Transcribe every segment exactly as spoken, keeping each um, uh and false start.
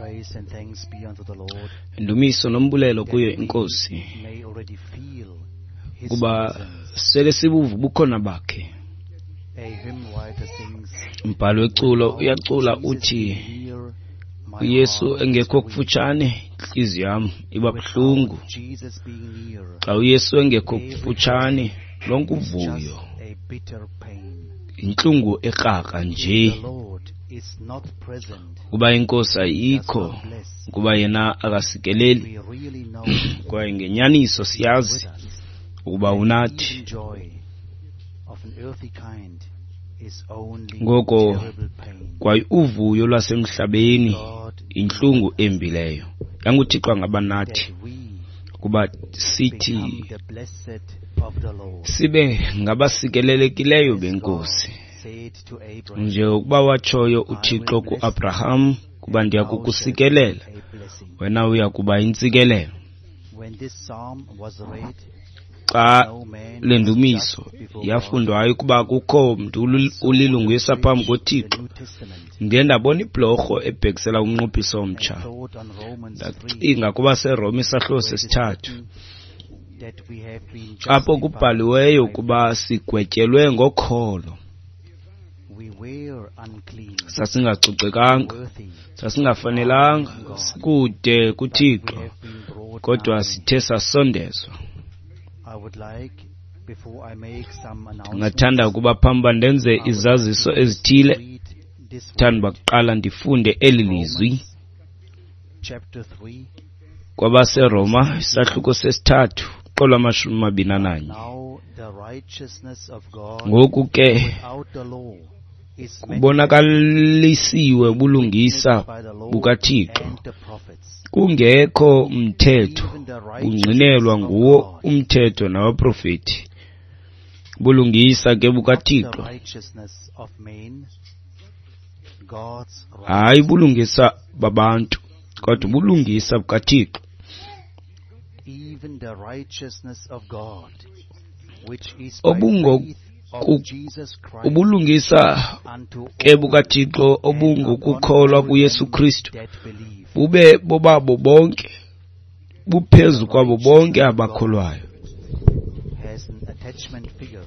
Praise and thanks be unto the Lord Indumiso nombulelo kuyo that we inkosi may already feel his kuba presence. sele sibuva ubukhona bakhe. A hymn writer sings, Umbhalo weculo Without uyacula Jesus uthi being near, my uYesu heart is engekho weak. kufutshane intliziyo yam iba Without buhlungu. Jesus being near, Xa uYesu engekho every kufutshane joy lonke is just uvuyo a bitter pain. yintlungu ekrakra If nje. the Lord is not present, Kuba inkosi does ayikho, not bless, kuba yena akasikeleli, we really know kwaye ngenyaniso He is siyazi with us. ukuba And unathi. even joy of an earthly kind is only Ngoko terrible pain. kwaye uvuyo lwasemhlabeni God be yintlungu with us, embi leyo. YanguThixo angaba nathi that we ukuba sithi become the blessed of the Lord. sibe ngabasikelelekileyo As God benkosi. said to Abraham, Njengokuba watshoyo I will uThixo bless thee, kuAbraham kuba and ndiya thou shalt be kukusikelela, a blessing. wena uya kuba yintsikelelo. When this psalm was read, Xa no man le was ndumiso just before God. yafundwayo ukuba akukho mntu I saw the ulilungisa phambi bridge in the koThixo, New Testament ndiye ndabona ibhlorho ebhekisela kumnqophiso and omtsha. thought on Romans three, Ndacinga kubaseRoma isahluko where it is sesithathu, written that we have been apho justified kubhaliweyo by ukuba faith. sigwetyelwe ngokholo. We were unclean, Sasingacocekanga, unworthy of our sasingafanelanga, living God, sikude but we kuThixo, have been brought kodwa nigh. sithe sasondezwa. I would like, before I make some Ndingathanda announcements, ukuba phambi uba ndenze I would like to izaziso first ezithile, read this ndithanda uba word, kuqala ndifunde eli lizwi Romans chapter three, kwabaseRoma verse isahluko twenty-two. sesithathu qolo amashumi amabini But ananye. now the righteousness of God Ngoku ke without the law is manifest, kubonakalisiwe being ubulungisa witnessed by the law bukaThixo, and the prophets, kungekho mthetho, even the righteousness bungqinelwa of nguwo God, umthetho nabaprofeti. Ubulungisa ke not the bukaThixo, righteousness of men, God's hayi righteousness. ubulungisa babantu, kodwa ubulungisa bukaThixo, Even the righteousness of God, which is by obungo faith of ku- Jesus Christ ubulungisa unto ke all bukaThixo and upon obungokukholwa all kuYesu them Kristu that believe. bube bobabo bonke, The buphezu kwabo bonke righteousness of God abakholwayo. has an attachment figure,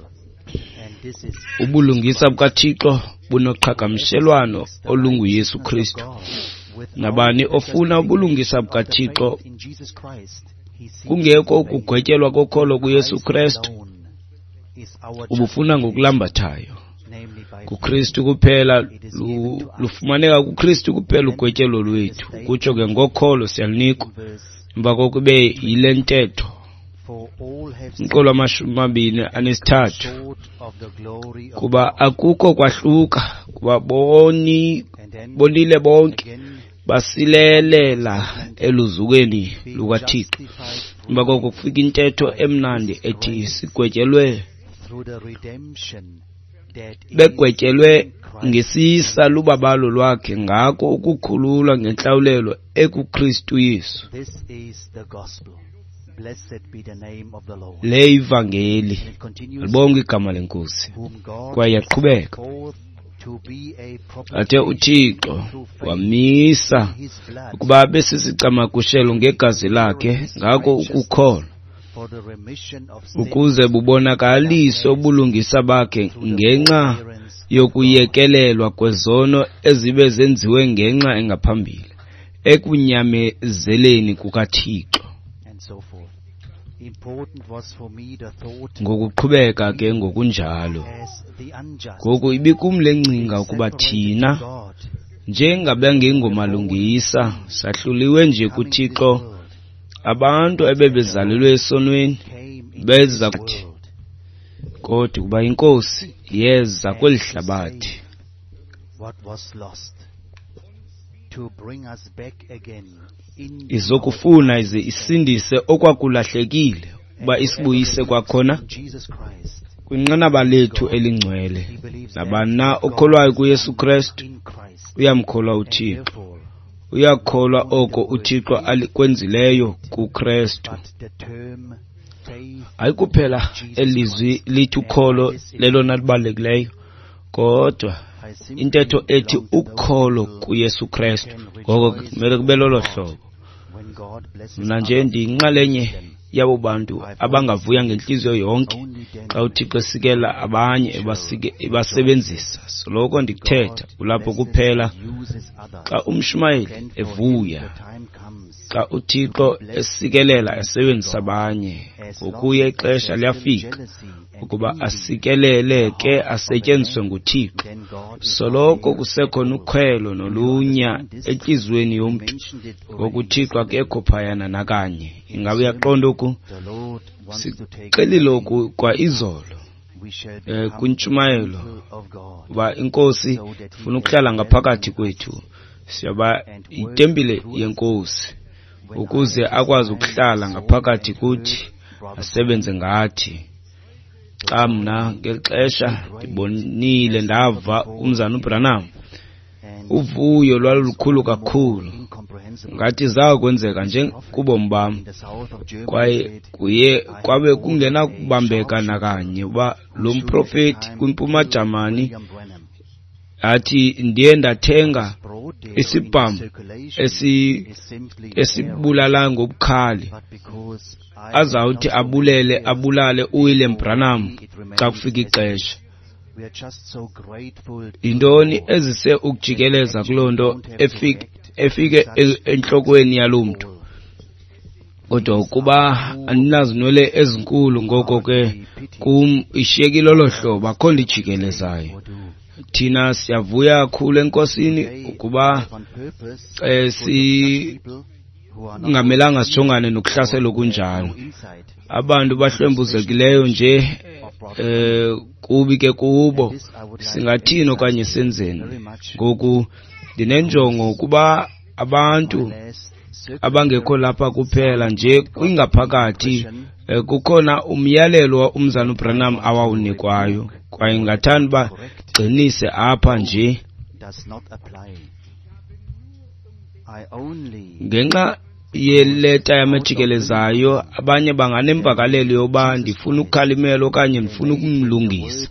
and this is Jesus Ubulungisa Christ. bukaThixo Whoever bunoqhagamshelwano seeks the olunguYesu righteousness of Kristu. God without Nabani the ofuna ubulungisa justification of the bukaThixo faith in Jesus Christ, he seeks kungekho in vain. ukugwetyelwa kokholo kuYesu Christ Kristu, alone is our ubufuna justification, ngokulambathayo. namely by faith. KuKristu kuphela It is given lu- to us. lufumaneka kuKristu kuphela Then ugwetyelo the lwethu. Kutsho ke statement ngokholo siyalunikwa. in verse Emva kokube yile ntetho, For all have umqolo sinned wamashumi amabini and come anesithathu, short of the glory of kuba God. akukho kwahluka, kuba boni And then bonile bonke, again, the wonderful basilelela statement, eluzukweni being lukaThixo. justified Emva koko freely kufika intetho by emnandi his ethi grace sigwetyelwe through the redemption that is begwetyelwe in Christ ngesisa Jesus. lubabalo lwakhe, ngako ukukhululwa ngentlawulelo ekuKristu Yesu. This is the gospel. Blessed be the name of the Lord. Le ivangeli, And it continues, libonke igama lenkosi. whom God Kwaye set yaqhubeka forth to be a athe propitiation uThixo through faith wamisa in his blood, ukuba abe sisicamagushelo to ngegazi declare lakhe, his ngako righteousness ukukholwa, for the remission of sins ukuze that bubonakaliswe passed ubulungisa bakhe through the ngenxa forbearance of God. yokuyekelelwa kwezono ezibe zenziwe ngenxa engaphambili ekunyamezeleni kukaThixo. And so forth. Important was for me the thought Ngokuqhubeka ke we, ngokunjalo. as the unjust, Ngoku ibikum le being ngcinga ukuba separated to thina God, njengabangengomalungisa were born in sin, sahluliwe nje coming to this kuThixo, world, abantu but that the ebebezalelwe Lord esonweni came into this beza kuthi, world kodwa ukuba inkosi yeza kweli and to hlabathi save what was lost, to bring us back again into our izokufuna divine ize standing. isindise okwakulahlekileyo, And uba whoever isibuyise believes kwakhona in Jesus Christ kwinqanaba is lethu God. elingcwele. He believes that Nabani na what God okholwayo has kuYesu done Kristu in Christ, uyamkholwa and uThixo, therefore uyakholwa not only the oko word uThixo faith, alikwenzileyo kuKristu. but the term faith Hayi kuphela in Jesus elizwi Christ. lithi And by ukholo this it lelona libalulekileyo, kodwa Intetho ethi ukholo kuYesu Kristu. Ngoko kumele kube lolo hlobo. Mna nje ndiyinxalenye yabo bantu abangavuya ngentliziyo yonke xa uThixo esikela abanye ebasebenzisa. Soloko ndikuthetha kulapho kuphela xa umshumayeli evuya, xa uThixo esikelela esebenzisa abanye. Ngokuya ixesha liyafika ukuba asikelele ke asetyenziswe nguThixo. Soloko kusekhona ukhwelo nolunya entliziyweni yomntu, ngoku uThixo akekho phayana nakanye. Ingaba uyaqonda oku? Sixelile oku kwa izolo um kwintshumayelo uba iNkosi ifuna ukuhlala ngaphakathi kwethu. Siyaba itempile yeNkosi ukuze akwazi ukuhlala ngaphakathi kuthi asebenze ngathi. Xa mna ngeli xesha ndibonile ndava umzana uBranham, uvuyo lwalulukhulu kakhulu ngathi zakwenzeka nje kubomi bam, kwaye kuye kwabe kungenakubambeka nakanye uba lo mprofeti kwiMpuma Jamani athi ndiye ndathenga isibhamu esi esibulala ngobukhali azawuthi abulele abulale uWilliam Branham xa kufika ixesha. Yintoni ezise ukujikeleza kuloo nto efike efike entlokweni yalo mntu? Kodwa ukuba andinazinwele ezinkulu, ngoko ke kum ishiyekile olo hlobo, akho nto ijikelezayo. Thina siyavuya kakhulu eNkosini ukuba eh, si kungamelanga sijongane nokuhlasela okunjalo. Abantu bahlwempuzekileyo nje eh kubi ke kubo, singathini okanye senzeni? Ngoku ndinenjongo ukuba abantu abangekho lapha kuphela nje kwingaphakathi kukhona umyalelo umzana uBranham awawunikwayo, kwaye ngingathanda uba gcinise apha nje ngenxa yeleta yamejikelezayo. Abanye banganemvakalelo yoba ndifuna ukukhalimela okanye ndifuna ukumlungisa.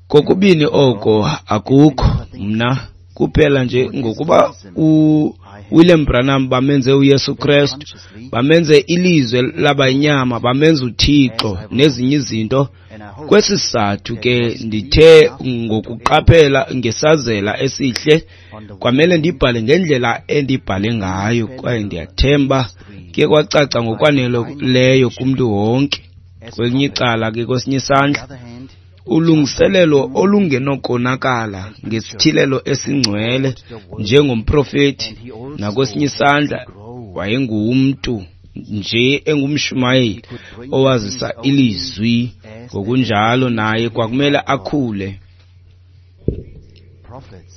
Kokubini oko akukho mna kuphela nje ngokuba uWilliam Branham bamenze uYesu Kristu, bamenze ilizwe labayinyama, bamenze uThixo nezinye izinto. Kwesi sizathu ke ndithe ngokuqaphela ngesazela esihle kwamele ndibhale ngendlela endibhale ngayo, kwaye ndiyathemba kuye kwacaca ngokwaneleyo kumntu wonke. Kwelinye icala ke, kwesinye isandla, ulungiselelo olungenokonakala ngesithilelo esingcwele njengomprofeti, nakwesinye isandla wayengumntu nje engumshumayeli owazisa ilizwi. Ngokunjalo naye kwakumele akhule,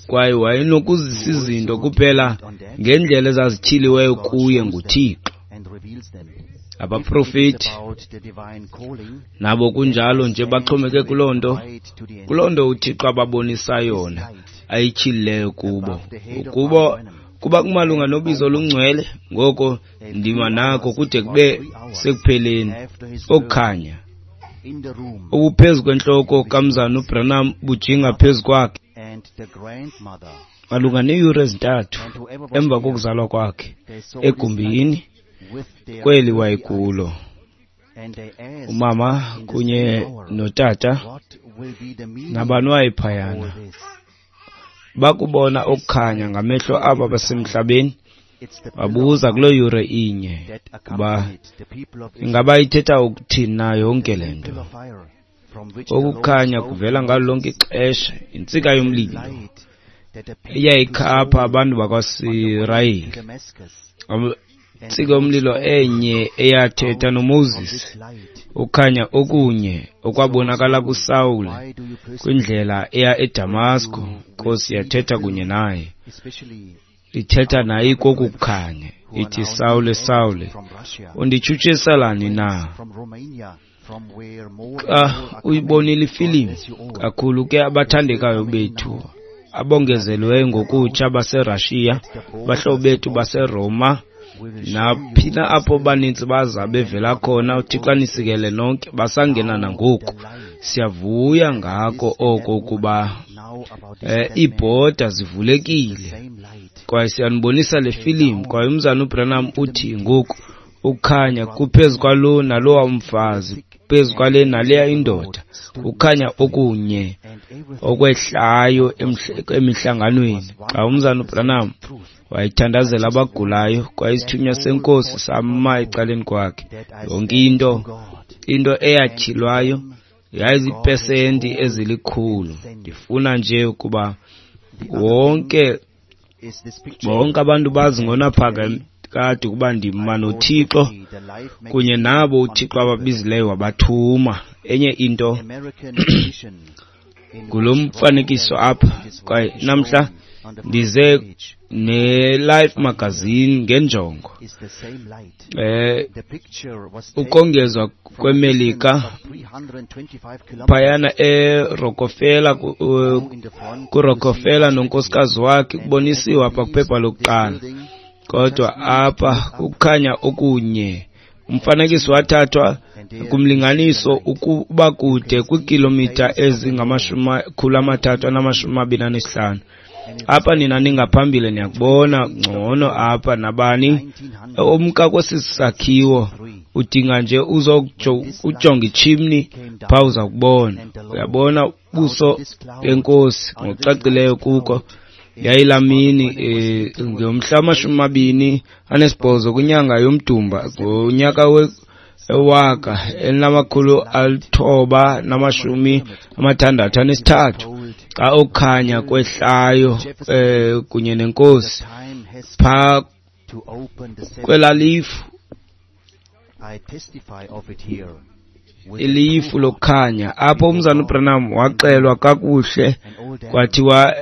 kwaye wayenokuzisa izinto kuphela ngendlela ezazityhiliweyo kuye nguThixo. Abaprofeti nabo kunjalo nje baxhomeke kuloo nto, kuloo nto uThixo ababonisa yona ayityhilileyo kubo. Ukuba kuba kumalunga nobizo olungcwele, ngoko ndima nako kude kube sekupheleni. Okukhanya obuphezu kwentloko kamzana uBranham bujinga phezu kwakhe malunga neeyure ezintathu emva kokuzalwa kwakhe egumbini kweli wayekulo. Umama kunye notata nabani wayephayana bakubona okukhanya ngamehlo abo basemhlabeni, babuza kuloo yure inye uba ingaba ithetha ukuthini na yonke le nto. Okukhanya kuvela ngalo lonke ixesha, intsika yomlilo eyayikhapha abantu bakwaSirayeli, intsika yomlilo enye eyathetha noMoses, ukhanya okunye okwabonakala kuSawule kwindlela eya eDamasko. Inkosi yathetha kunye naye, ithetha naye koku kukhanya, ithi, Sawule, Sawule, unditshutshiselani na? Xa uyibonile ifilimu, kakhulu ke abathandekayo bethu abongezelweyo ngokutsha baseRashiya, abahlobo bethu baseRoma, Naphina apho baninzi baza bevela khona, uThixo anisikele nonke, basangena nangoku. Siyavuya ngako oko ukuba eh, iibhoda zivulekile kwaye siyanibonisa le filimu. Kwaye umzana uBranham uthi ngoku ukukhanya kuphezu kwalo nalowa umfazi, phezu kwale naleya indoda, ukukhanya okunye okwehlayo emihlanganweni. Xa umzana uBranham wayethandazela abagulayo, kwaye isithunywa senkosi sama ecaleni kwakhe, yonke into into eyatyhilwayo yayiziipesenti ezilikhulu. Ndifuna nje ukuba wonke bonke abantu bazi ngonaphakade ukuba ndima noThixo kunye nabo uThixo ababizileyo wabathuma. Enye into ngulo mfanekiso apha, kwaye namhla ndize ne-Life magazine ngenjongo eh ukongezwa kweMelika phayana eRockefeller, kuRockefeller nonkosikazi wakhe kubonisiwe apha kwiphepha lokuqala. Kodwa apha ukukhanya okunye, umfanekiso wathathwa kumlinganiso ukuba kude kwiikilomitha ezingamakhulu amathathu anamashumi amabini anesihlanu. Apha nina ningaphambili niyakubona ngcono apha. Nabani omka kwesi sakhiwo udinga nje uzokujonga ichimney phaa, uza kubona. Uyabona ubuso benkosi ngokucacileyo kuko. Yayilamini eh, ngomhla wamashumi amabini anesibhozo kwinyanga yoMdumba ngonyaka wewaka elinamakhulu alithoba namashumi amathandathu anesithathu, xa okukhanya kwehlayo eh, kunye nenkosi phaa kwelalifu, ilifu lokukhanya. Apho umzana uBranham waxelwa kakuhle, kwathiwa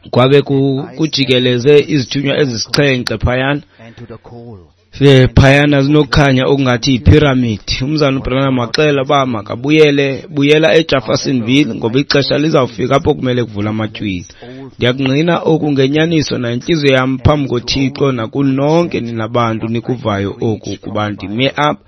kwabe kujikeleze izithunywa ezisixhenxe phayana phayana zinokukhanya okungathi yiphiramidi. Umzana uBranham waxela uba makabuyele buyela eJeffersonville ngoba ixesha lizawufika apho kumele kuvula amatywina. Ndiyakungqina oku ngenyaniso nantliziyo yam phambi koThixo nakunonke nina bantu nikuvayo oku, kuba ndime apha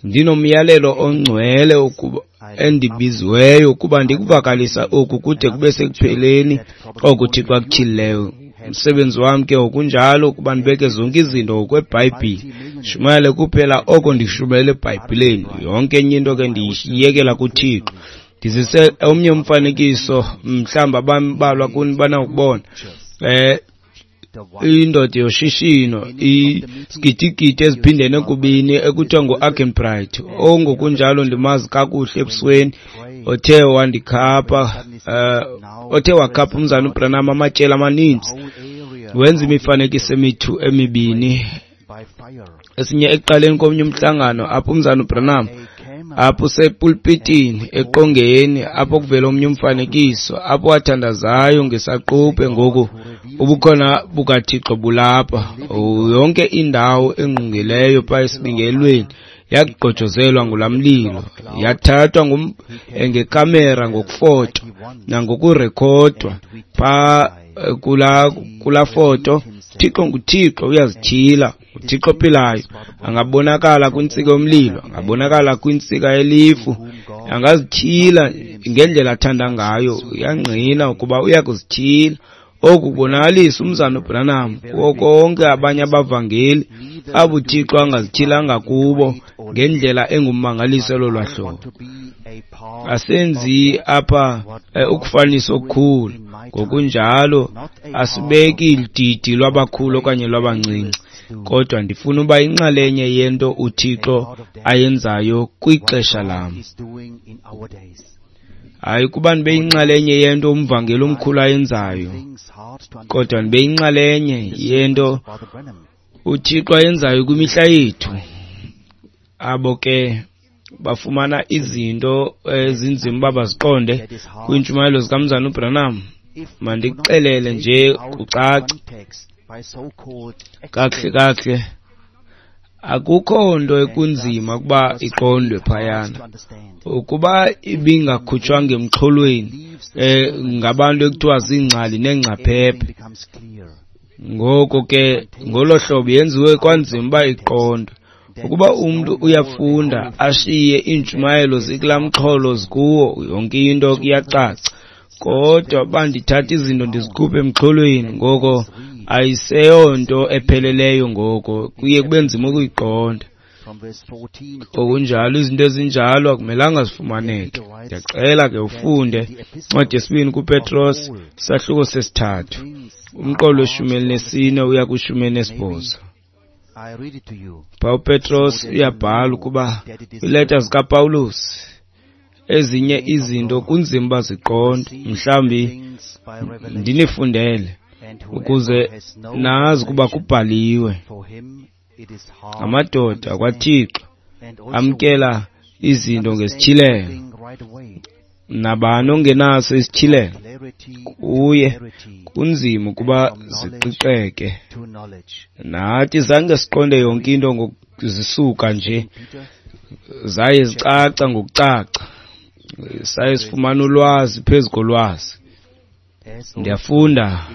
ndinomyalelo ongcwele ukuba endibiziweyo ukuba ndikuvakalisa oku kude kube sekupheleni oku Thixo akutyhilileyo. Umsebenzi wam ke ngokunjalo ukuba ndibeke zonke izinto ngokweBhayibhile, shumayele kuphela oko ndishumayele eBhayibhileni. Yonke enye into ke ndiyiyekela kuThixo. Ndizise omnye umfanekiso, mhlawumbi abambalwa kuni banawukubona. Eh indoda yoshishino isigidigidi eziphindene kubini ekuthiwa ngu-Argenbright, ongokunjalo ndimazi kakuhle ebusweni, othe wandikhapha uh, othe wakhapha umzana uBranham amatyeli amaninzi, wenza imifanekiso emithu emibini, esinye ekuqaleni komnye umhlangano apho umzana uBranham apho usepulpitini eqongeni, apho kuvela omnye umfanekiso apho wathandazayo ngesaquphe. Ngoku ubukhona bukaThixo bulapha, yonke indawo engqungileyo phaa esibingelweni yagqojozelwa ngulaa mlilo, yathathwa ngekamera ngokufotwa nangokurekhodwa phaa kula kula foto. Thixo nguThixo, uyazityhila, uThixo ophilayo. Angabonakala kwintsika yomlilo, angabonakala kwintsika yelifu, angazityhila ngendlela athanda ngayo. Uyangqina ukuba uyakuzityhila. Oku kubonakalisa umzana uBranham kuwo konke abanye abavangeli abo uThixo angazityhilanga kubo ngendlela engummangaliso lolwa hlobo. Asenzi apha ukufanisa okukhulu, ngokunjalo asibeki ididi lwabakhulu okanye lwabancinci, kodwa ndifuna uba inxalenye yento uThixo ayenzayo kwixesha lam. Hayi kuba ndibe yinxalenye yento umvangeli omkhulu ayenzayo, kodwa ndibe yinxalenye yento uThixo ayenzayo kwimihla yethu. Abo ke bafumana izinto ezinzima uba baziqonde kwiintshumayelo zikamzana uBranham. Mandikuxelele nje kucace kakuhle kakuhle, akukho nto ekunzima ukuba iqondwe phayana. Ukuba ibingakhutshwanga emxholweni eh ngabantu ekuthiwa ziingcali neengcaphephe, Ngoko ke ngolo hlobo yenziwe kwanzima uba iqondwe. Ukuba umntu uyafunda ashiye iintshumayelo zikulaa mxholo zikuwo, yonke into iyacaca. Kodwa bandithatha izinto ndizikhuphe emxholweni, ngoko ayiseyonto epheleleyo, ngoko kuye kube nzima ukuyiqonda. Okunjalo izinto ezinjalo akumelanga zifumaneke. Ndiyacela ke ufunde incwadi yesibini kuPetros, isahluko sesithathu, umqolo weshumi elinesine uya kwishumi elinesibhozo. Pha uPetros uyabhala ukuba kwiileta zikaPawulos ezinye izinto kunzima uba ziqondwe. Mhlawumbi ndinifundele ukuze nazi ukuba kubhaliwe ngamadoda kwaThixo amkela izinto ngesityhilelo. Nabani ongenaso isityhilelo kuye kunzima ukuba ziqiqeke. Nathi zange siqonde yonke into ngokuzisuka nje, zaye zicaca ngokucaca, saye sifumana ulwazi phezu kolwazi. Ndiyafunda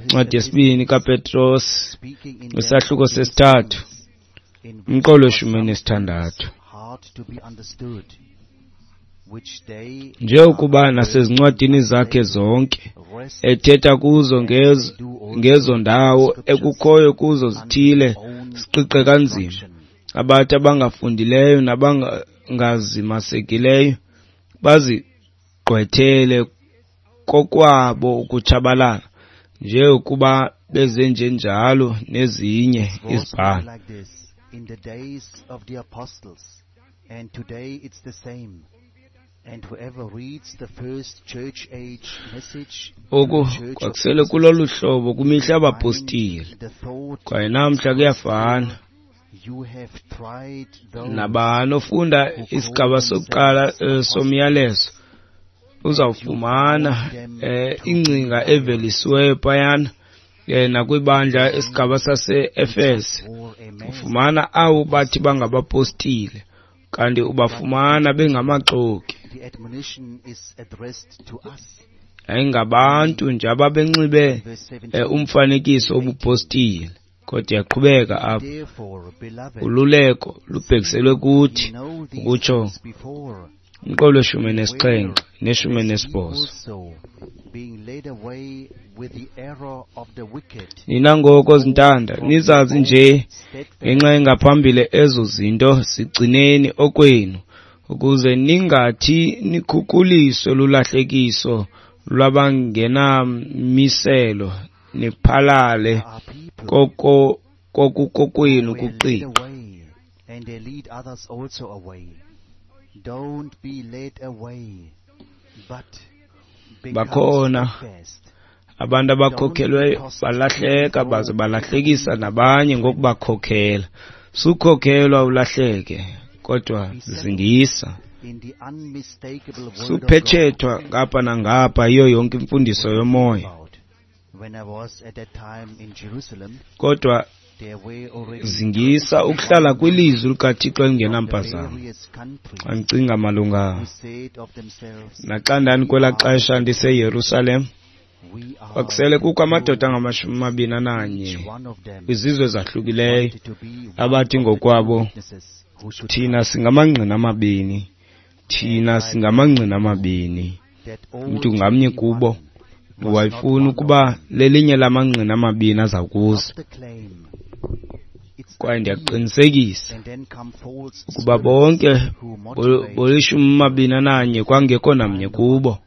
incwadi yesibini kaPetros, isahluko sesithathu, umqolo weshumi elinesithandathu. Njengokuba nasezincwadini zakhe zonke ethetha kuzo ngezo, ngezo ndawo ekukhoyo kuzo zithile siqiqe kanzima, abathi abangafundileyo nabangazimasekileyo bazigqwethele kokwabo ukutshabalala, njengokuba bezenjenjalo nezinye izibhalo. In the days of the apostles, and today it's the same. And whoever reads the first church age message, Oku kwakusele kulolu hlobo kwimihla yabapostile, kwaye namhla kuyafana. You have tried those Nabani ofunda isigaba sokuqala eh, somyalezo uzawufumana eh, ingcinga evelisiweyo phayana eh, nakwibandla isigaba sase-Efese. Ufumana abo bathi bangabapostile kanti ubafumana bengamaxoki. The admonition is addressed to us. Ayingabantu nje ababenxibe eh, umfanekiso wobupostile. Kodwa iyaqhubeka apha. Therefore, beloved, Ululeko lubhekiselwe kuthi, ye know these ukutsho things before, umqolo weshumi elinesixhenxe neshumi elinesibhozo. also being led away with the error of the wicked, Nina ngoko zintanda nizazi nje ngenxa engaphambili ezo zinto, zigcineni okwenu ukuze ningathi nikhukuliswe lulahlekiso lwabangenamiselo niphalale are people koko kokukokwenu who were led kuqiqa. away, and they lead others also away. Don't be led away, but become Bakhona steadfast. abantu abakhokhelweyo balahleka baze balahlekisa nabanye ngokubakhokhela. Sukhokhelwa ulahleke, kodwa zingisa. In the unmistakable word of God. Suphetshethwa ngapha nangapha yiyo yonke imfundiso yomoya. About when I was at that time in Jerusalem, Kodwa there were already zingisa ukuhlala kwilizwi likaThixo elingenampazamo. various countries Xa ndicinga malunga who said of themselves, naxa ndandikwelaa xesha ndiseYerusalem, we are kwakusele kukho amadoda angamashumi amabini ananye each one of them kwizizwe ezahlukileyo wanted to be one abathi of the two ngokwabo, witnesses who should thina singamangqina amabini, thina singamangqina amabini. that all Umntu ngamnye kubo was not wayefuna one of ukuba them. lelinye lamangqina amabini aza kuza. Not the claim. It's Kwaye a deed, ndiyakuqinisekisa and then come false ukuba spirits bonke who motivate bolishumi amabini ananye kwangekho namnye kubo.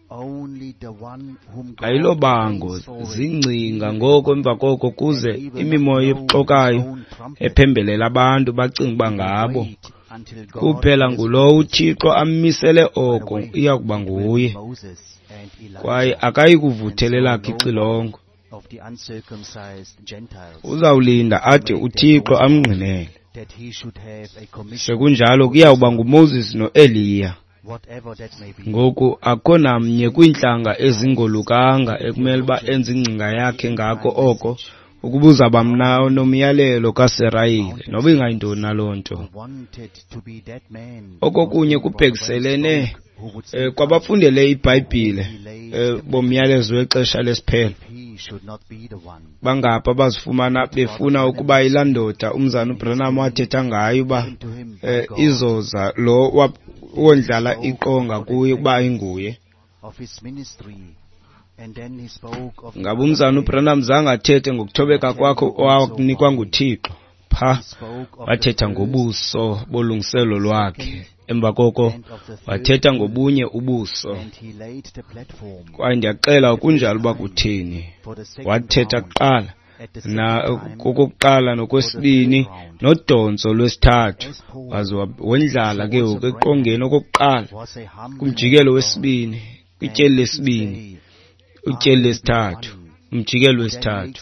only the one whom God Ayilobango prays for it. zingcinga ngoko emva koko kuze And he will imimoya not blow ebuxokayo his own trumpet. ephembelela abantu bacinga uba ngabo. Wait until God Kuphela has ngulowo uThixo ammisele oko iya kuba with nguye, Moses and Elijah kwaye akayi kuvuthelela kho ixilongo. of the uncircumcised Gentiles, Uzawulinda ade uThixo amngqinele. that he should have a commission, Sekunjalo kuyawuba nguMoses noEliya. whatever that may be. Ngoku akho namnye kwiintlanga ezingolukanga ekumele uba enze ingcinga yakhe ngako oko ukuba uzawuba mna nomyalelo kaSirayeli, noba ingayintoni na loo nto. Who wanted to be that man Okokunye kubhekiselene eh, kwabafundele iBhayibhile eh, bomyalezo wexesha lesiphelo. he Bangaphi abazifumana befuna ukuba yilaa ndoda umzana uBranham wathetha ngayo uba eh, izoza lo wondlala iqonga kuye ukuba ayinguye? Ngaba umzana uBranham zange athethe ngokuthobeka kwakho owakunikwa nguThixo? Pha wathetha ngobuso bolungiselo lwakhe. Emva koko wathetha ngobunye ubuso. Kwaye ndiyaxela kunjalo uba kutheni. Wathetha kuqala na kokokuqala nokwesibini nodontso lwesithathu, waze wondlala ke ngoku eqongeni okokuqala kumjikelo wesibini, kwityeli lesibini, utyeli lesithathu, umjikelo wesithathu.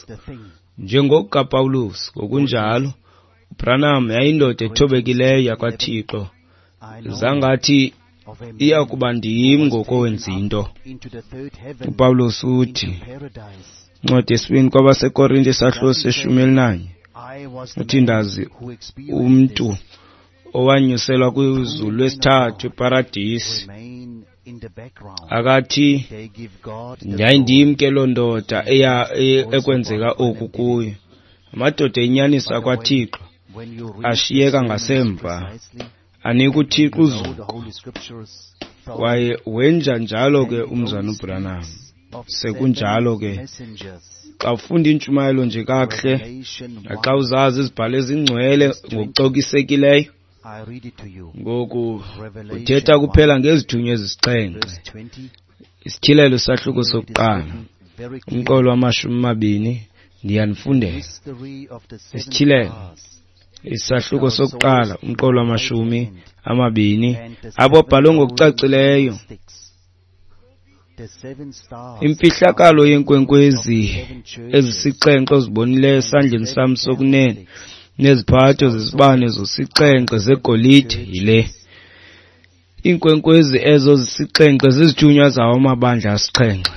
NjengokukaPawulos ngokunjalo uBranham yayindoda ethobekileyo yakwaThixo. Zangathi iya kuba ndim ngokowenza into. UPawulos uthi incwadi yesibini kwabaseKorinte isahluko seshumi elinanye, uthi ndazi umntu owanyuselwa kwizulu lwesithathu eparadisi. Akathi yayindim ke loo ndoda eya ekwenzeka oku kuyo. Amadoda enyaniso akwaThixo ashiyeka ngasemva, anika uThixo uzuko. Kwaye wenja njalo ke umzana uBranham. Sekunjalo ke xa ufunda intshumayelo nje kakuhle, naxa uzazi izibhalo ezingcwele ngokucokisekileyo, ngoku uthetha kuphela ngezithunywa ezisixhenxe. Isityhilelo sahluko sokuqala, umqolo wamashumi amabini, ndiyanifundela. Isityhilelo isahluko sokuqala, umqolo wamashumi amabini, apho bhalwe ngokucacileyo imfihlakalo yenkwenkwezi ezisixhenxe ozibonileyo esandleni sam sokunene neziphatho zezibane zosixhenxe zegolide yile. Iinkwenkwezi ezo zisixhenxe zizithunywa zawo amabandla asixhenxe,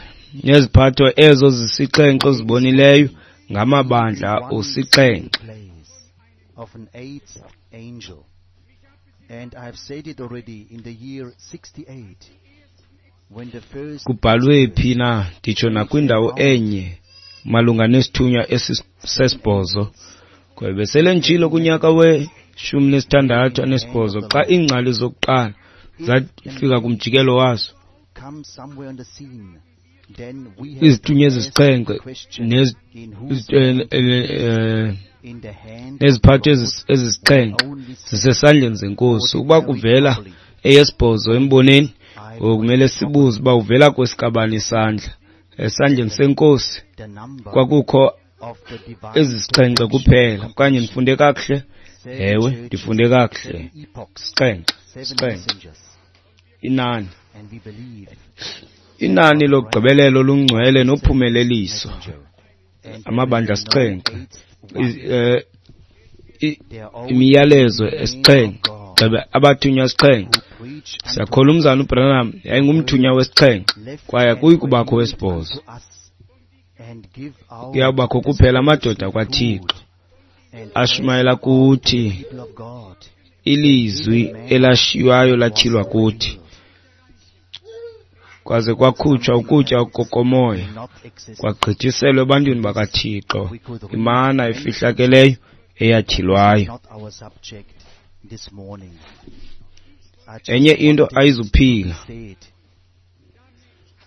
neziphatho ezo zisixhenxe ozibonileyo ngamabandla osixhenxe. Of an eighth angel. And I have said it already in the year sixty-eight, when the first Kubhalwe phi na nditsho nakwindawo enye malunga nesithunywa esisesibhozo. Kwaye besele nditshilo kunyaka weshumi nesithandathu anesibhozo xa iingcali zokuqala zafika kumjikelo wazo, come somewhere on the scene, then we have izithunywa to ask ezisixhenxe the question, nezi- in whose eh, hand eh, in the hand neziphatho of ezis- ezisixhenxe only zisesandleni zenkosi. Ukuba kuvela eyesibhozo emboneni, ngoku kumele sibuze uba uvela kwesikabani isandla. Esandleni senkosi the number kwakukho of the divine ezisixhenxe kuphela. Okanye ndifunde kakuhle? Ewe, ndifunde kakuhle. seven epochs, Sixhenxe, seven sixhenxe. messengers, Inani. and we believe Inani lokugqibelelo olungcwele nophumeleliso. messenger and Amabandla there is no asixhenxe. eighth one. Iz- eh, i- They are all Imiyalezo men of esixhenxe. God Gxebe abathunywa sixhenxe. who preach unto Siyakholwa umzana uBranham yayingumthunywa wesixhenxe left kwaye and akuyi kubakho revealed wesibhozo. unto us, and give our Kuyawubakho kuphela amadoda kwaThixo and ashumayela as kuthi the people of God ilizwi elashiywayo latyhilwa kuthi, kwaze kwakhutshwa ukutya kokomoya not exist. kwagqithiselwa ebantwini bakaThixo imana efihlakeleyo eyatyhilwayo. Not our subject this morning. I just Enye into wanted ayizuphila to say it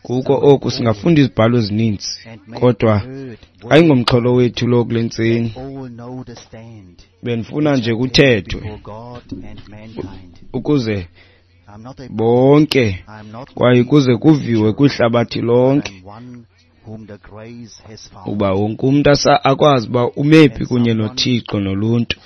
kuko oku singafunda izibhalo ezininzi, and may kodwa heard word ayingomxholo wethu lo kule ntseni. all know the stand Bendifuna nje which I take kuthethwe before God and mankind. ukuze I'm not a bonke I'm not kwaye kuze kuviwe kwihlabathi lonke I'm one whom the grace has found. uba wonke umntu asa akwazi uba umephi kunye noThixo noluntu,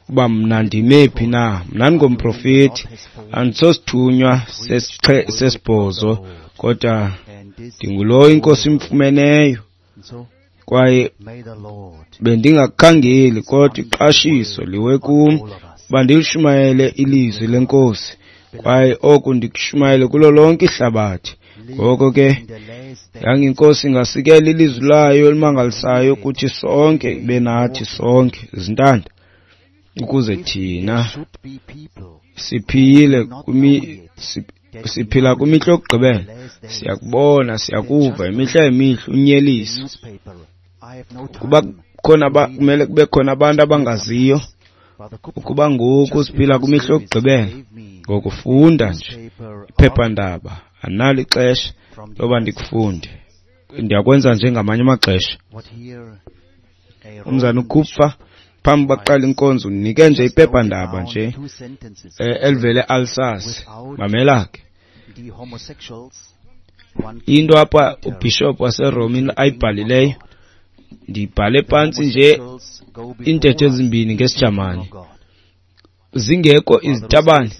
uba mna ndimephi na. Mna ndingumprofethi, andisosithunywa sesixhe- sesibhozo, kodwa And this ndingulowo inkosi imfumeneyo. so Kwaye may the Lord bendingakukhangeli, kodwa iqashiso liwe kum all of us uba ndilishumayele ilizwi lenkosi, kwaye oku ndikushumayele kulo lonke ihlabathi. Ngoko ke in the last day yanga inkosi ingasikela ilizwi layo elimangalisayo kuthi sonke, ibe nathi sonke zintanda, ukuze thina should be people siphile kwimi si- siphila kwimihla yokugqibela. Siyakubona, siyakuva imihla yemihla unyeliso. Kuba khona kumele kube khona abantu abangaziyo ukuba ngoku siphila kwimihla yokugqibela. Ngokufunda nje iphephandaba, andinalo ixesha loba ndikufunde. Ndiyakwenza nje ngamanye amaxesha. Umzana uKupfer phambi baqala inkonzo unike nje iphephandaba nje elivele Alsace. Mamela ke. Into apha ubishop waseRome ayibhalileyo, ndibhale phantsi nje iintetho ezimbini ngesiJamani. Zingekho izitabane,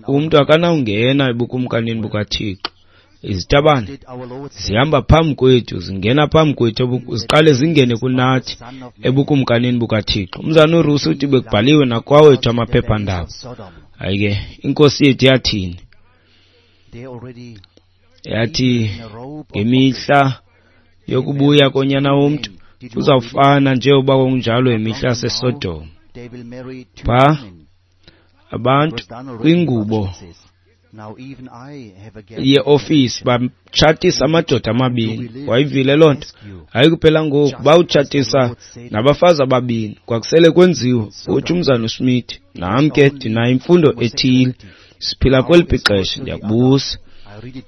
umntu akanawungena ebukumkanini bukaThixo. Izitabane zihamba phambi kwethu, zingena phambi kwethu, ziqale zingene kunathi ebukumkanini bukaThixo. Umzana uRusi uthi bekubhaliwe nakwawethu amaphephandaba. Hayi ke, inkosi yethu yathini? Yathi ngemihla yokubuya konyana womntu kuzawufana njengoba kunjalo imihla yaseSodom. Pha abantu kwingubo yeofisi batshatisa amadoda amabini. Wayivile loo nto? Hayi kuphela ngoku bawutshatisa nabafazi ababini. Kwakusele kwenziwe. Uthi umzana uSmith, nam ke ndinayo imfundo ethile, siphila kweliphi ixesha? Ndiyakubuza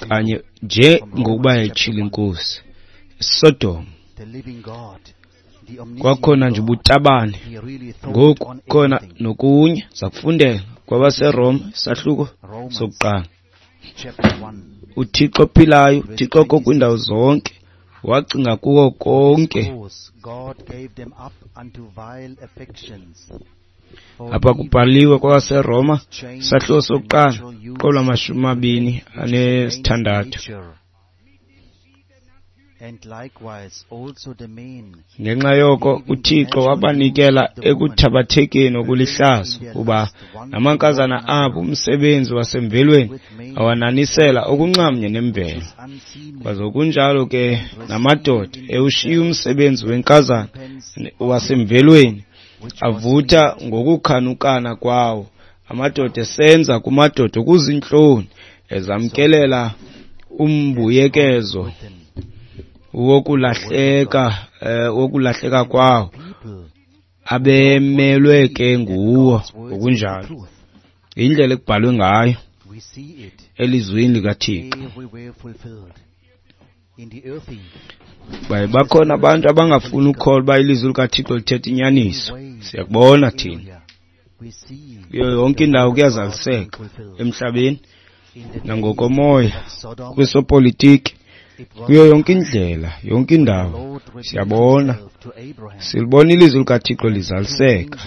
kanye nje ngokuba yayitshilo inkosi. Sodom kwakhona nje ubutabane, ngoku khona nokunye. Zakufundela kwabaseRoma isahluko sokuqala. uThixo ophilayo, uThixo okwiindawo zonke, wacinga kuwo konke. Apha kubhaliwe kwabaseRoma isahluko sokuqala qolo amashumi amabini anesithandathu. Ngenxa yoko uThixo wabanikela ekuthabathekeni okulihlazo, kuba namankazana abo umsebenzi wasemvelweni awananisela okunxamnye nemvelo. Kwazokunjalo ke namadoda ewushiya umsebenzi wenkazana wasemvelweni, avutha ngokukhanukana kwawo. Amadoda esenza kumadoda okuzintloni, ezamkelela umbuyekezo wokulahleka wokulahleka kwawo, abemelwe ke nguwo. Ngokunjalo indlela ekubhalwe ngayo elizwini likaThixo. Baye bakhona abantu abangafuni ukukholwa uba ilizwi likaThixo lithetha inyaniso. Siyakubona thina kuyo yonke indawo kuyazaliseka emhlabeni nangokomoya, kwesopolitiki, kuyo yonke indlela, yonke indawo siyabona, silibona ilizwi likaThixo lizaliseka.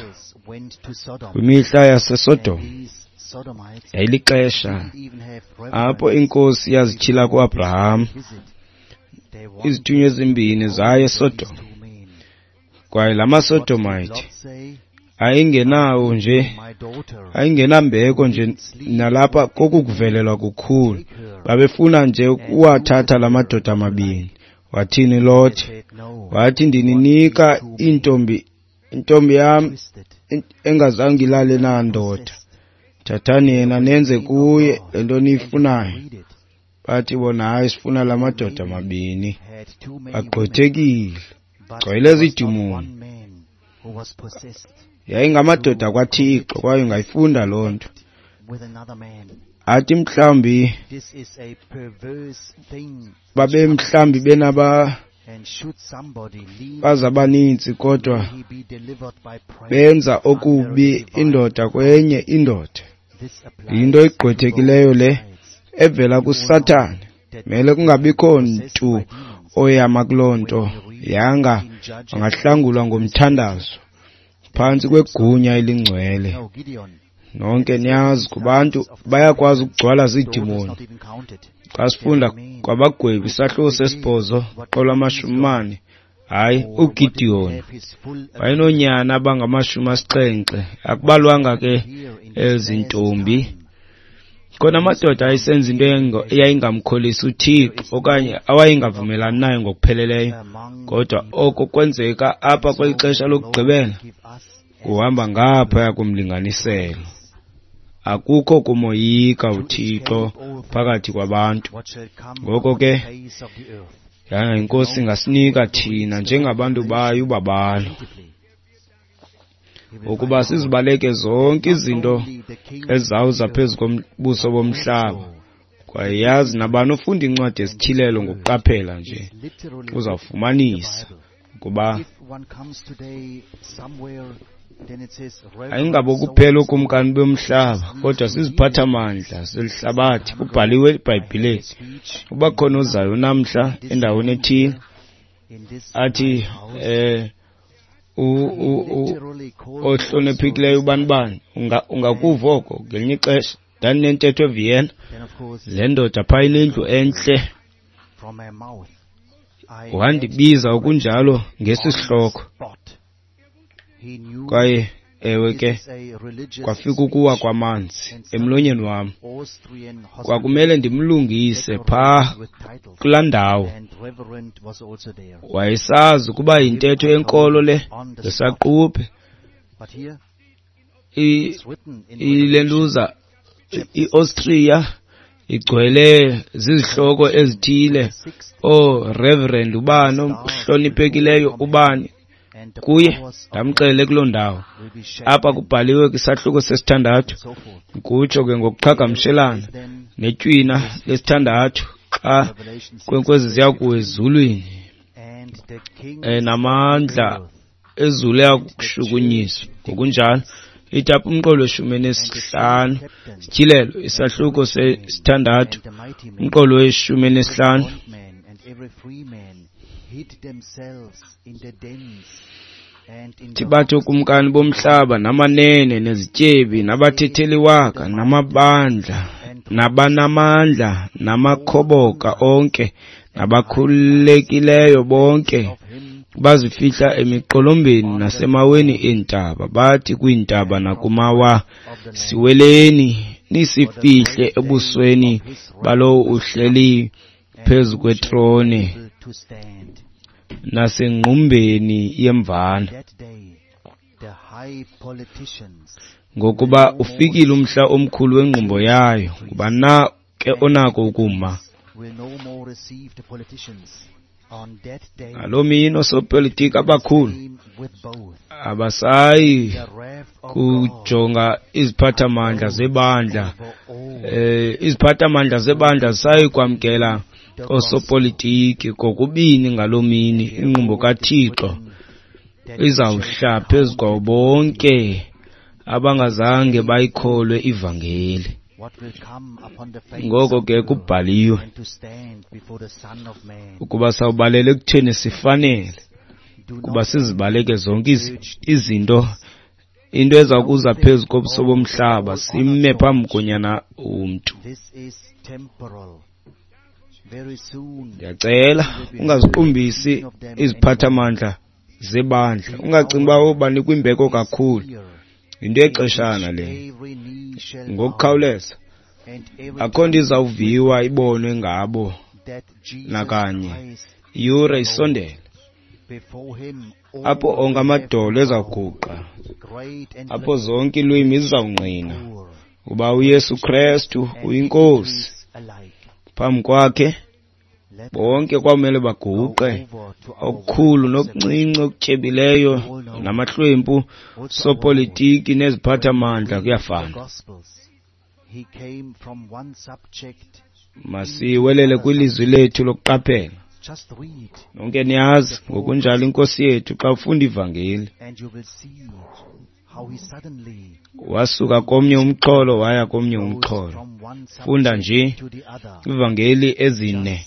Kwimihla yaseSodom yayilixesha apho inkosi yazityhila kuAbraham. Izithunywa ezimbini zaye eSodom, kwaye la maSodomite ayingenawo nje, ayingenambeko nje nalapha kokukuvelelwa kukhulu. Babefuna nje ukuwathatha la madoda amabini. Wathini Lot? Wathi ndininika intombi, intombi yam engazange ilale nandoda. Thathani yena nenze kuye le nto niyifunayo. Bathi bona hayi, sifuna la madoda amabini. Bagqwethekile, gcwele zidimoni. Yayingamadoda kwaThixo, kwaye ungayifunda loo nto. Athi mhlawumbi babe mhlawumbi benaba baza abaninzi, kodwa benza okubi indoda kwenye indoda. Yinto egqwethekileyo le evela kuSathane. Mele kungabikho mntu oyama kuloo nto, yanga angahlangulwa ngomthandazo phantsi kwegunya elingcwele. Nonke niyazi kubantu bayakwazi ukugcwala ziidimoni. Xa sifunda kwabagwebi isahluko sesibhozo qolo amashumi mane, hayi uGideon wayenoonyana abangamashumi asixhenxe, akubalwanga ke ezintombi. Khona amadoda ayesenza into eyayingamkholisi uThixo okanye awayengavumelani naye ngokupheleleyo, kodwa oko kwenzeka apha kweli xesha lokugqibela kuhamba ngaphaya komlinganiselo. Akukho kumoyika uThixo phakathi kwabantu. Ngoko ke yanga iNkosi ingasinika thina njengabantu bayo ubabalo ukuba sizibaleke zonke izinto ezizawuza phezu kobuso bomhlaba. Kwaye yazi nabani ofunda incwadi yesityhilelo ngokuqaphela nje uzawufumanisa ukuba ayingabo kuphela ookumkani bomhlaba, kodwa siziphathamandla zelihlabathi. Kubhaliwe eBhayibhileni uba khona ozayo namhla endaweni ethile athi eh ohloniphekileyo ubani bani, ungakuva oko ngelinye ixesha. Ndandinentetho eVienna, le ndoda phaa inendlu entle, wandibiza okunjalo ngesi sihloko. Kwaye ewe ke kwafika ukuwa kwamanzi emlonyeni wam. Kwakumele ndimlungise phaa kulaa ndawo. Wayesazi ukuba yintetho yenkolo le ngesaquphe. Ilentuza iAustria igcwele zizihloko ezithile, ooReverend ubani, ohloniphekileyo ubani. Kuye ndamxelele kuloo ndawo. Apha kubhaliwe kwisahluko sesithandathu, kutsho ke ngokuqhagamshelana netywina lesithandathu xa inkwenkwezi ziya kuwa ezulwini, namandla ezulu ayakushukunyiswa. Ngokunjalo ithi apha umqolo weshumi enesihlanu, Sityhilelo isahluko sesithandathu, umqolo weshumi enesihlanu. Bathi ookumkani bomhlaba namanene nezityebi nabathetheliwaka namabandla nabanamandla namakhoboka onke nabakhululekileyo bonke bazifihla emiqolombeni nasemaweni eentaba. Bathi kwiintaba nakumawa, siweleni nisifihle ebusweni balowo uhleli phezu kwetrone nasengqumbeni yemvana. Ngokuba ufikile umhla omkhulu wengqumbo yayo, ngubani na ke onako ukuma? Ngaloo mini oosopolitiki abakhulu abasayi kujonga iziphathamandla zebandla. Eh, iziphathamandla zebandla zisayi kwamkela osopolitiki kokubini. Ngaloo mini ingqumbo kaThixo izawuhla phezu kwabo bonke abangazange bayikholwe ivangeli. Ngoko ke kubhaliwe ukuba sawubalele ekutheni sifanele kuba sizibaleke zonke izinto, into eza kuza phezu kobuso bomhlaba, sime phambi koNyana womntu. Ndiyacela ungaziqumbisi iziphathamandla zebandla, ungacingi uba obanikwa imbeko kakhulu. Yinto yexeshana le. Ngokukhawuleza akho nto izawuviwa ibonwe ngabo nakanye. Iyure isondele apho onke amadolo ezawuguqa, apho zonke iilwimi zizawungqina uba uYesu Krestu uyiNkosi. Phambi kwakhe bonke kwamele baguqe, okukhulu nokuncinci, okutyebileyo namahlwempu, sopolitiki neziphathamandla kuyafana. Masiwelele kwilizwi lethu lokuqaphela. Nonke niyazi ngokunjalo iNkosi yethu xa ufunda ivangeli wasuka komnye umxholo waya komnye umxholo. Funda nje ivangeli ezine.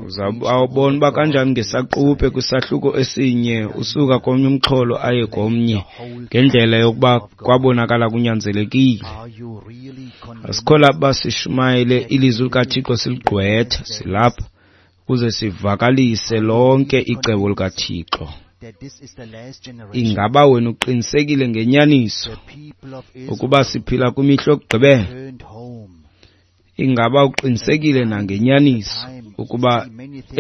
Uzawubona uba kanjani ngesaquphe kwisahluko esinye usuka komnye umxholo aye komnye ngendlela yokuba kwabonakala kunyanzelekile. Asikho lapha sishumayele ilizwi likaThixo siligqwetha, silapha ukuze sivakalise lonke icebo likaThixo. Ingaba wena uqinisekile ngenyaniso ukuba siphila kwimihla yokugqibela? Ingaba uqinisekile nangenyaniso Ukuba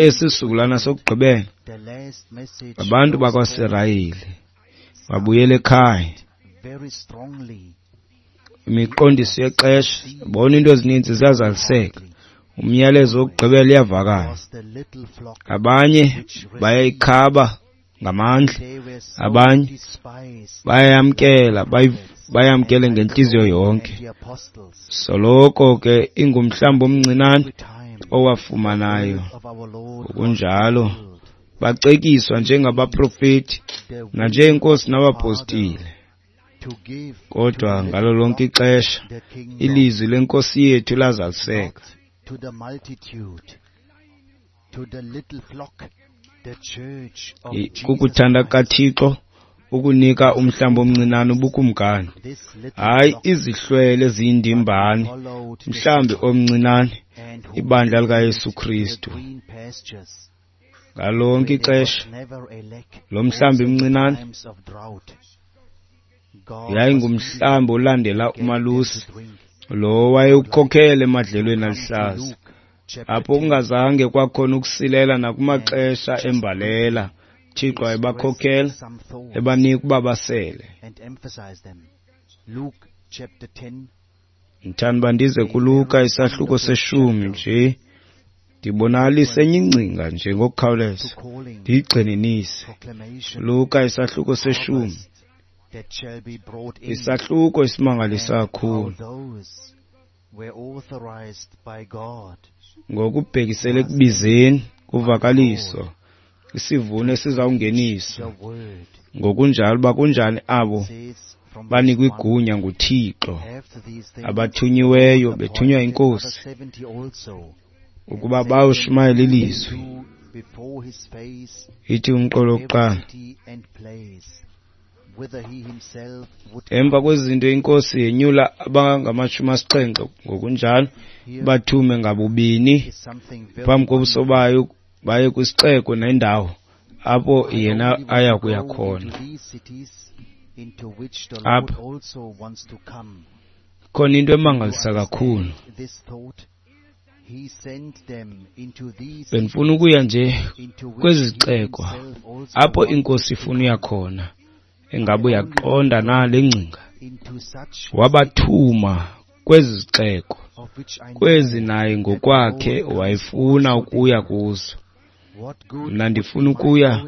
esi sizukulwana sokugqibela abantu bakwaSirayeli babuyele ekhaya. Imiqondiso yexesha, bona into ezininzi ziyazaliseka. Umyalezo wokugqibela uyavakala. Abanye bayayikhaba ngamandla, abanye bayayamkela, bayamkele ngentliziyo yonke. Soloko ke ingumhlambi omncinane owafumanayo. Ngokunjalo bacekiswa njengabaprofeti nanjengenkosi nabapostile. Kodwa ngalo lonke ixesha ilizwi lenkosi yethu lazaliseka. Kukuthanda kaThixo ukunika umhlambi omncinane ubukumkani, hayi izihlwele eziyindimbane, mhlambi omncinane, ibandla likaYesu Kristu. Ngalo lonke ixesha lo mhlambi mncinane yayingumhlambi olandela umalusi lo wayewukhokhela emadlelweni aluhlaza, apho kungazange kwakhona ukusilela nakumaxesha embalela. Thixo wayebakhokhela ebanika ukuba basele. Ndithanda uba ndize kuLuka isahluko seshumi nje, ndibonakalise enye ingcinga nje ngokukhawuleza, ndiyigxininise. Luka isahluko seshumi, isahluko esimangalisa kakhulu ngokubhekisele ekubizeni kuvakaliso isivuno esizawungeniswa. Ngokunjalo uba kunjani abo banikwa igunya nguThixo, abathunyiweyo bethunywa inkosi ukuba bayoshumayela ilizwi. Ithi umqolo wokuqala, emva kwezinto inkosi yenyula abangamashumi asixhenxe, ngokunjalo bathume ngabubini phambi kobuso bayo baye kwisixeko nendawo apho yena aya kuya khona. Apha khona into emangalisa kakhulu. Bendifuna ukuya nje kwezi zixeko apho inkosi ifuna uya khona. Engabe uyaqonda na le ngcinga? Wabathuma kwezi zixeko, kwezi naye ngokwakhe wayefuna ukuya kuzo. Mna ndifuna ukuya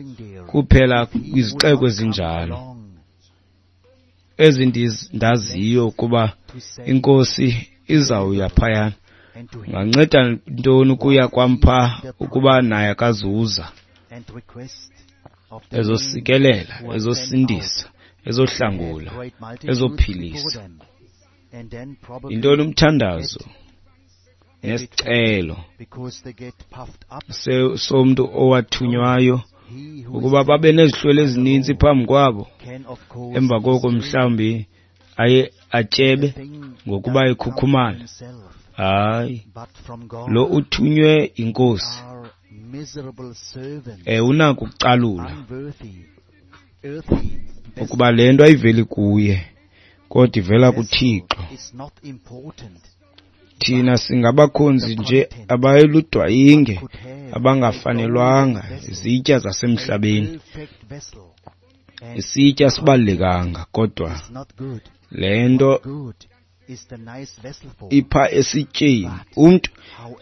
kuphela kwizixeko ezinjalo, ezi ndaziyo ukuba inkosi izawuya phayana. Unganceda ntoni ukuya kwam phaa ukuba naye akazuza ezosikelela, ezosindisa, ezohlangula, ezophilisa? Yintoni umthandazo nesicelo somntu owathunywayo ukuba babe nezihlwele ezininzi phambi kwabo, emva koko mhlawumbi aye atyebe ngokuba ekhukhumala? Hayi, lo uthunywe inkosi eh unako ukucalula ukuba le nto ayiveli kuye kodwa ivela kuThixo. Thina singabakhonzi nje abayiludwayinge, abangafanelwanga izitya zasemhlabeni. Isitya sibalulekanga, kodwa le nto ipha esityeni. Umntu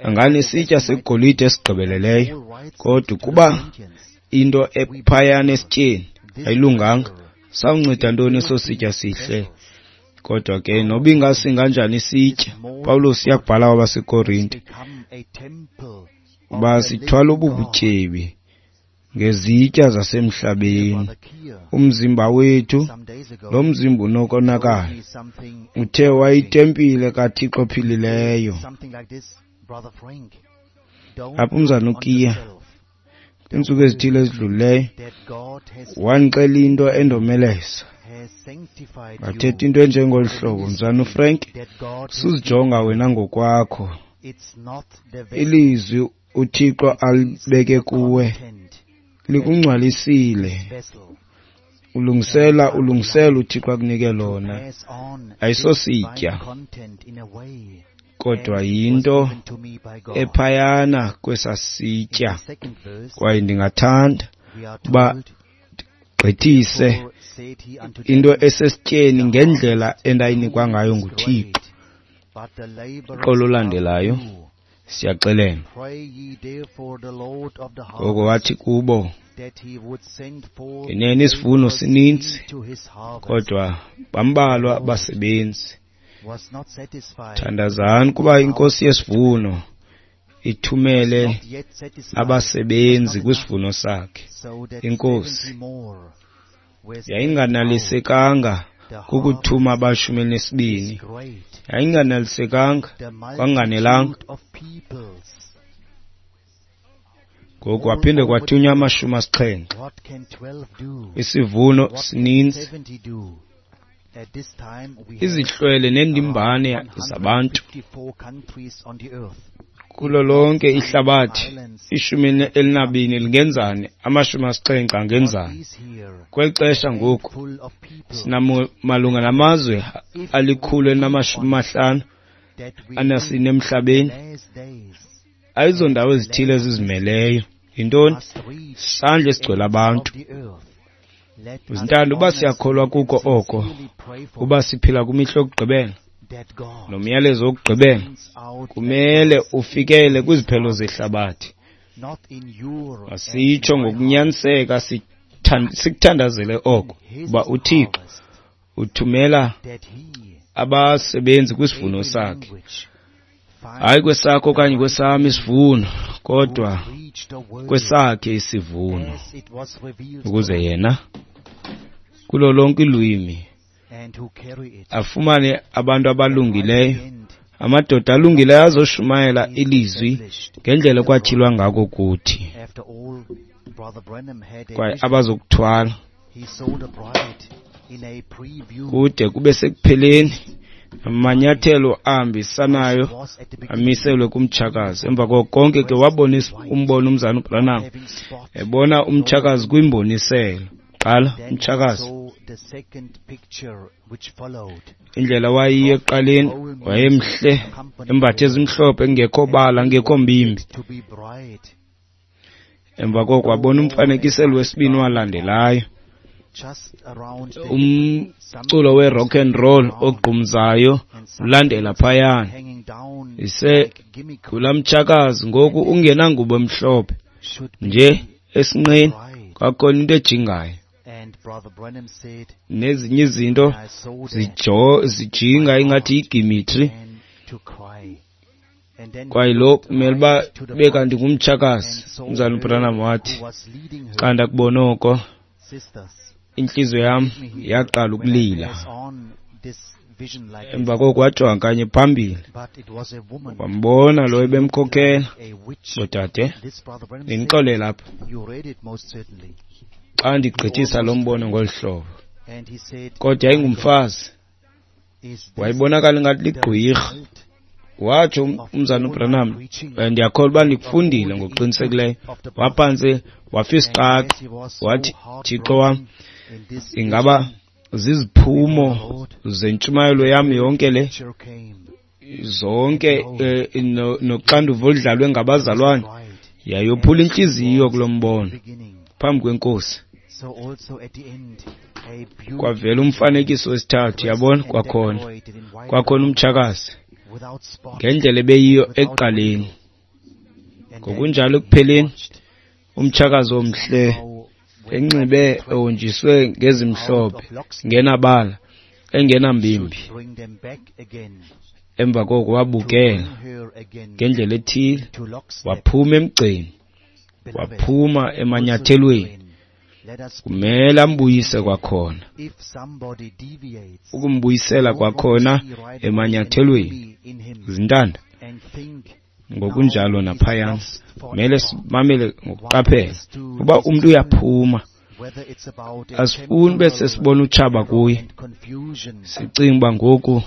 anganesitya segolide esigqibeleleyo, kodwa ukuba into ephayana esityeni ayilunganga, sawunceda ntoni eso sitya sihle? Kodwa ke noba ingasinganjani isitya, Pawulos uyakubhala kwabaseKorinte uba sithwala ububutyebi ngezitya zasemhlabeni. Umzimba wethu, lo mzimba unokonakala, uthe wayitempile kaThixo ophilileyo. Apha umzana uKiya kwiintsuku ezithile ezidlulileyo wandixela into endomeleza, wathetha into enjengolu hlobo: mzana uFrank, suzijonga wena ngokwakho, ilizwi uThixo alibeke kuwe likungcwalisile, ulungisela ulungisela uThixo akunike lona, ayisositya. Kodwa as it was yinto given to me by God. ephayana kwesaa In sitya. the second verse, Kwaye ndingathanda we are uba told, gqithise Therefore said he unto into them, esesityeni The ngendlela harvest endayinikwa truly ngayo is nguThixo. great, but the laborers Uxolo are olulandelayo few. siyaxelelwa. Pray ye therefore the Lord of the Ngoko harvest wathi kubo, that he would send forth Ngenene isivuno laborers sininzi, into his harvest. kodwa bambalwa abasebenzi. Was not satisfied, Thandazani kuba inkosi yesivuno ithumele not yet satisfied, abasebenzi was not enough, kwisivuno sakhe. so that Inkosi seventy more were sent out. yayinganalisekanga The kukuthuma harvest abashumi is elinesibini, great. yayinganalisekanga, The kwanganelanga. multitude of peoples. Ngoku All kwaphinde over the kwathunywa earth. amashumi asixhenxe. What can twelve do? Isivuno What can sininzi, seventy do? At this time we have izihlwele around nendimbane one hundred zabantu fifty-four countries on the earth. kulo If not lonke some ihlabathi. islands Ishumi that are elinabini lingenzani, amashumi asixhenxe What angenzani? is here Kweli a xesha ngoku handful of people sinamalunga namazwe If we alikhulu keep elinamashumi on it, mahlanu that we anasine in the emhlabeni. last days Ayizondawo and the ezithile last ezizimeleyo. message Yintoni? must reach Sisandla the esigcwele ends of abantu. the earth. Let us Zintanda, uba siyakholwa honestly and kuko oko, sincerely pray for uba it, siphila kwimihla yokugqibela that God nomyalezo wokugqibela sends out kumele laborers ufikele into his kwiziphelo harvest, zehlabathi. not in your and Masitsho my harvest, ngokunyaniseka sithan-, sikuthandazele in oko, his uba uThixo harvest, uthumela that he, abasebenzi kwisivuno every sakhe. language, Hayi finds kwesakho the okanye right kwesam men isivuno, who kodwa preach the word kwesakhe isivuno, as it was revealed to ukuze us yena kulo lonke ilwimi and who carry it. afumane abantu The right abalungileyo, hand amadoda alungileyo azoshumayela is ilizwi established ngendlela the ekwatyhilwa bride. ngako kuthi, After all, Brother Branham had a kwaye vision. abazokuthwala He saw the bride in a preview. kude kube sekupheleni. Amanyathelo ahambisanayo As was at the beginning, amiselwe kumtshakazi. Emva koko konke ke dressed wabona in is-, white, umbono umzana not uBranham having spot ebona nor umtshakazi wrinkle. kwimboniselo. Qala Then he umtshakazi saw the second picture which followed. indlela wayiyo Prophet ekuqaleni, whole music wayemhle, accompanied embathe her, ezimhlophe, engekho and bala, he engekho wanted mbimbi. to be bride, Emva koko no wabona more a umfanekiselo white wesibini garment on, walandelayo, just around the hip, umculo some we-rock things and roll hanging down ogqumzayo and some ulandela things phayana. hanging down Ise like gimmick, kulaa mtshakazi ngoku and that ungenangubo emhlophe should nje be esinqeni, bride. kwakhona into ejingayo And Brother Branham said, nezinye izinto when I saw that, zijo-, zijinga my ingathi heart yigimitri. began to cry. And then he Kwaye lo looked kumele uba right to the ube front kanti ngumtshakazi. and saw Umzalwana her uBranham wathi, who was leading xa her. ndakubona oko, Sisters, intliziyo yam forgive me here yaqala when I ukulila. pass on this vision like Emva this, koko wajonga kanye phambili, but it was a woman. wambona lo She looked ebemkhokhela. like a witch. Boodade, This Brother Branham said, ndinixolele apha you read it most certainly. xa He ndigqithisa lo almost mbono ngolu fainted. hlobo. And he said, Kodwa My God, yayingumfazi, is this wayebonakala ingathi the ligqwirha. result Watsho um-, of umzana all my uBranham, preaching eh, ndiyakholwa uba and of all ndikufundile the input ngokuqinisekileyo. of the brothers? Waphantse wafa And isiqaqa, as he was so wathi, Thixo wam, heartbroken in this ingaba vision before ziziphumo the Lord, zentshumayelo the yam third yonke le, picture came, and zonke behold, eh, no- noxanduva oludlalwe it was the ngabazalwane, bride yayophula as it intliziyo was kulo at the mbono beginning. phambi kwenkosi. So also at the end, a Kwavela beautiful bride, umfanekiso wesithathu, dressed yabona, and kwakhona decorated in white kwakhona garments, umtshakazi without spot ngendlela ebeyiyo and without ekuqaleni. wrinkle. And then Ngokunjalo he ekupheleni, watched umtshakazi omhle somehow went off enxibe the track ehonjiswe out ngezimhlophe, of lockstep ngenabala, engenambimbi. should bring them back again, Emva koko to wabukela bring her again ngendlela ethile, to lockstep. waphuma emgceni, Beloved, waphuma also emanyathelweni. brethren, let us be Kumele ambuyise attentive. kwakhona, If somebody deviates, ukumbuyisela don't want to kwakhona see right away an emanyathelweni. enemy in him Zintanda, and think now ngokunjalo he's naphayana lost kumele forever. simamele One ngokuqaphela has to uba umntu discern uyaphuma. whether it's about a Asifuni ube temporal sesibona utshaba error kuye, and confusion, sicinga uba ngoku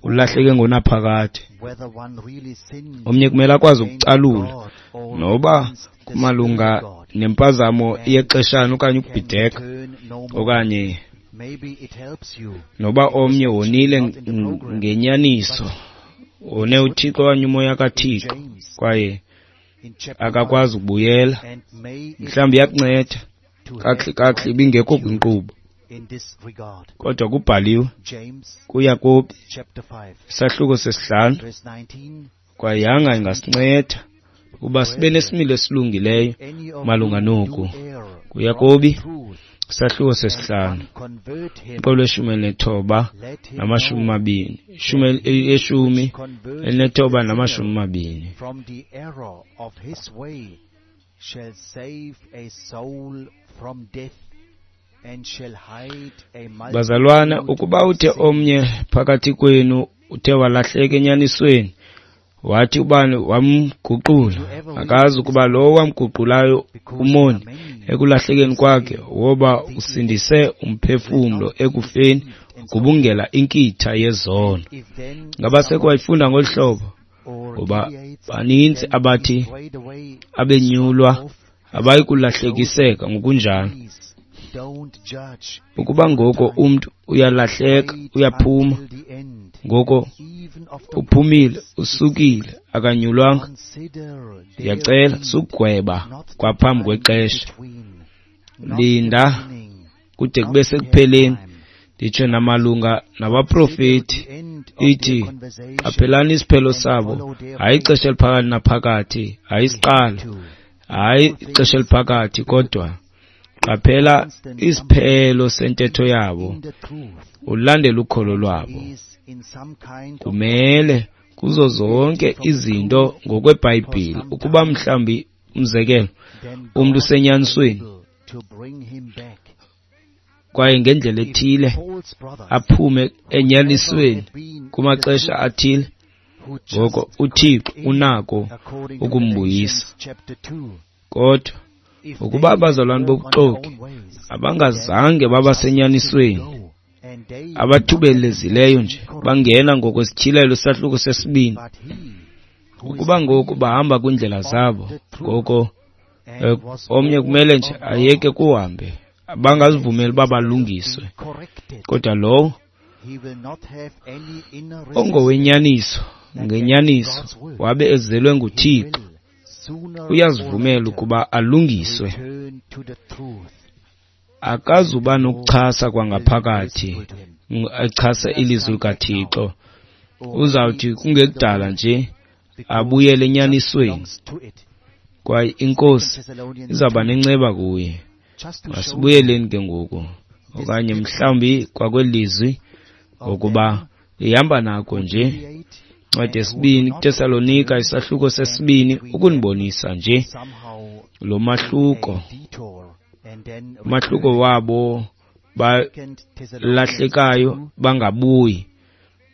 ulahleke ngonaphakade. whether one really sinned Omnye kumele akwazi against ukucalula God or noba against the Spirit of kumalunga God, nempazamo and yexeshana okanye can ukubhideka, return no more. okanye Maybe it helps you noba because omnye actually wonile not in the program, ngenyaniso but Wone uThixo okanye uMoya kaThixo, kwaye akakwazi ukubuyela. Mhlawumbi iyakunceda kakuhle kakuhle ibingekho kwinkqubo, kodwa kubhaliwe kuYakobi isahluko sesihlanu, kwaye yanga ingasinceda ukuba sibe nesimilo esilungileyo malunga noku. KuYakobi isahluko sesihlanu, umqolo weshumi elinethoba namashumi amabini, ishumi elinethoba namashumi amabini. Bazalwana, ukuba uthe omnye phakathi kwenu uthe walahleka enyanisweni, wathi ubani wamguqula, akazi ukuba lowo wamguqulayo umoni ekulahlekeni kwakhe, woba usindise umphefumlo ekufeni, ugubungela inkitha yezono. Ngaba sekwayifunda ngolu hlobo? Ngoba baninzi abathi abenyulwa abayi kulahlekiseka ngokunjalo. Ukuba ngoko umntu uyalahleka, uyaphuma, ngoko uphumile, usukile, akanyulwanga. Ndiyacela sugweba kwaphambi kwexesha. Linda kude kube sekupheleni. Nditsho namalunga nabaprofeti, ithi qaphelani isiphelo sabo, hayi ixesha eliphakathi naphakathi, hayi isiqalo, hayi ixesha eliphakathi, kodwa qaphela isiphelo sentetho yabo, ulandele ukholo lwabo. Kumele kuzo zonke izinto ngokweBhayibhile, ukuba mhlawumbi umzekelo umntu usenyanisweni kwaye ngendlela ethile aphume enyanisweni kumaxesha athile, ngoko uThixo unako ukumbuyisa. Kodwa ukuba abazalwane bobuxoki abangazange babasenyanisweni, abathubelezileyo nje bangena ngokwesityhilelo isahluko sesibini, ukuba ngoku bahamba kwiindlela zabo, ngoko omnye kumele nje ayeke kuhambe, bangazivumeli uba balungiswe. Kodwa lowo ongowenyaniso ngenyaniso wabe ezelwe nguThixo, uyazivumela ukuba alungiswe. Akazuba nokuchasa kwangaphakathi, echasa ilizwi likaThixo. Uzawuthi kungekudala nje abuyele enyanisweni, kwaye iNkosi izawuba nenceba kuye. Masibuyeleni ke ngoku, okanye mhlawumbi kwakwelizwi, ngokuba ihamba nako nje. Incwadi yesibini kuTesalonika isahluko sesibini, ukunibonisa nje lo mahluko, umahluko wabo balahlekayo bangabuyi,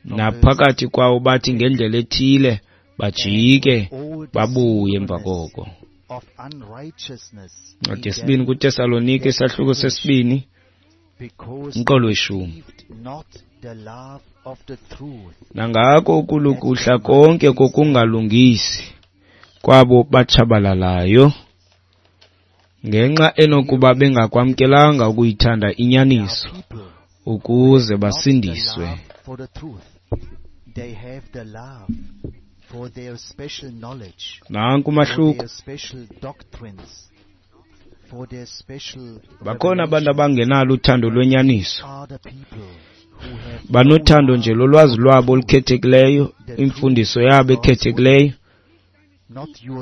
naphakathi kwawo bathi ngendlela ethile bajike babuye emva koko. Incwadi yesibini kuTesalonika isahluko sesibini, umqolo weshumi. Nangako ukulukuhla konke kokungalungisi kwabo batshabalalayo, ngenxa enokuba bengakwamkelanga ukuyithanda inyaniso ukuze basindiswe. Nanku umahluko. Bakhona abantu abangenalo uthando lwenyaniso, banothando nje lolwazi lwabo olukhethekileyo, imfundiso yabo ekhethekileyo,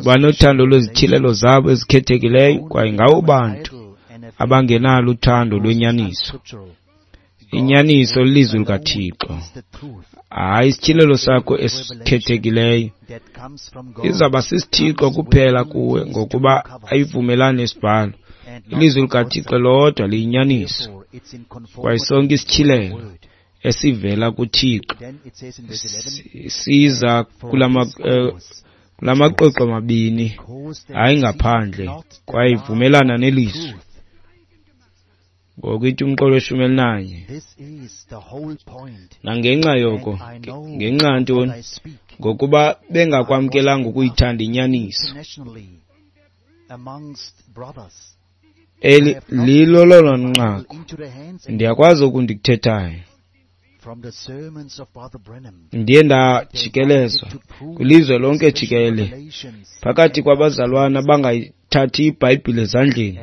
banothando lwezityhilelo zabo ezikhethekileyo, kwaye ngabo bantu abangenalo uthando lwenyaniso. Inyaniso lilizwi likaThixo, hayi isityhilelo sakho esikhethekileyo. Izawuba sisithixo kuphela kuwe, ngokuba ayivumelani nesibhalo. Ilizwi likaThixo lodwa liyinyaniso, kwaye sonke isityhilelo esivela kuThixo siza kulama kulamaqoqo mabini, hayi ngaphandle, kwaye ivumelana nelizwi. Ngoku ithi umqolo weshumi elinanye, nangenxa yoko, ngenxa ntoni? Ngokuba bengakwamkelanga ukuyithanda inyaniso. Eli lilo lona nqaku. Ndiyakwazi oku ndikuthethayo. Ndiye ndajikelezwa kwilizwe lonke jikelele phakathi kwabazalwana abangayithathi iBhayibhile ezandleni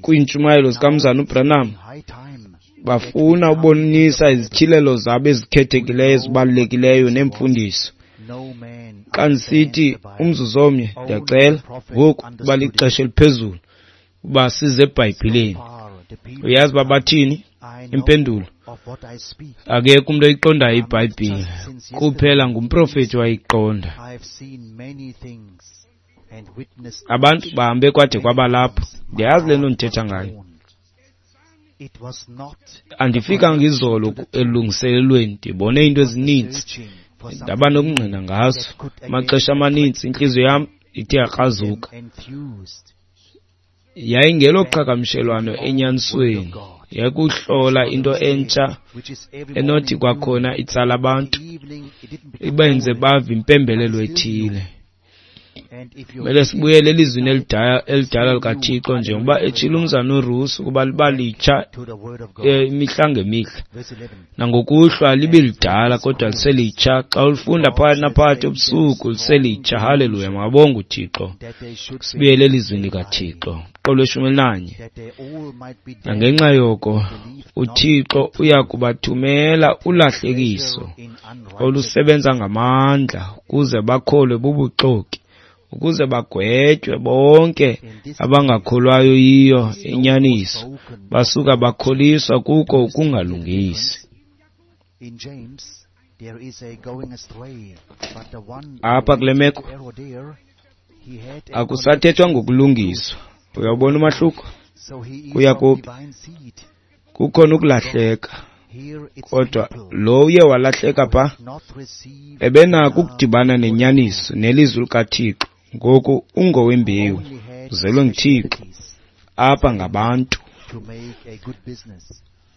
kwiintshumayelo zikaMzana uBranham. Bafuna ubonisa izityhilelo zabo ezikhethekileyo ezibalulekileyo neemfundiso. Xa ndisithi umzuzu omnye, ndiyacela ngoku uba lixesha eliphezulu uba size eBhayibhileni. Uyazi uba bathini? Impendulo: akekho umntu oyiqondayo iBhayibhile, kuphela ngumprofethi wayiqonda. Abantu bahambe kwade kwaba lapho. Ndiyazi le nto ndithetha ngayo. Andifikanga izolo elungiselelweni, ndibone iinto ezininzi, ndaba nokungqina ngazo. Amaxesha amaninzi intliziyo yam ithe yakrazuka. Yayingeloqhagamshelwano enyanisweni, yayikuhlola into entsha enothi kwakhona itsala abantu, ibenze bave impembelelo ethile. Kumele sibuyele elizwini elidala likaThixo, njengoba etshilo umzana uRusi ukuba liba litsha imihla ngemihla. Nangokuhlwa libe lidala kodwa liselitsha. Xa ulifunda phakathi naphakathi ebusuku liselitsha. Haleluya, makabongwe uThixo. Sibuyele elizwini likaThixo. Qolo lweshumi elinanye. Nangenxa yoko uThixo uya kubathumela ulahlekiso olusebenza ngamandla ukuze bakholwe bubuxoki, ukuze bagwetywe bonke abangakholwayo yiyo inyaniso, basuka bakholiswa kuko ukungalungisi. Apha kule meko akusathethwa ngokulungiswa. Uyawubona umahluko? KuYakobi kukhona ukulahleka, kodwa lo uye walahleka pha ebenako ukudibana nenyaniso nelizwi likaThixo. Ngoku ungowembewu, uzelwe nguThixo. Apha ngabantu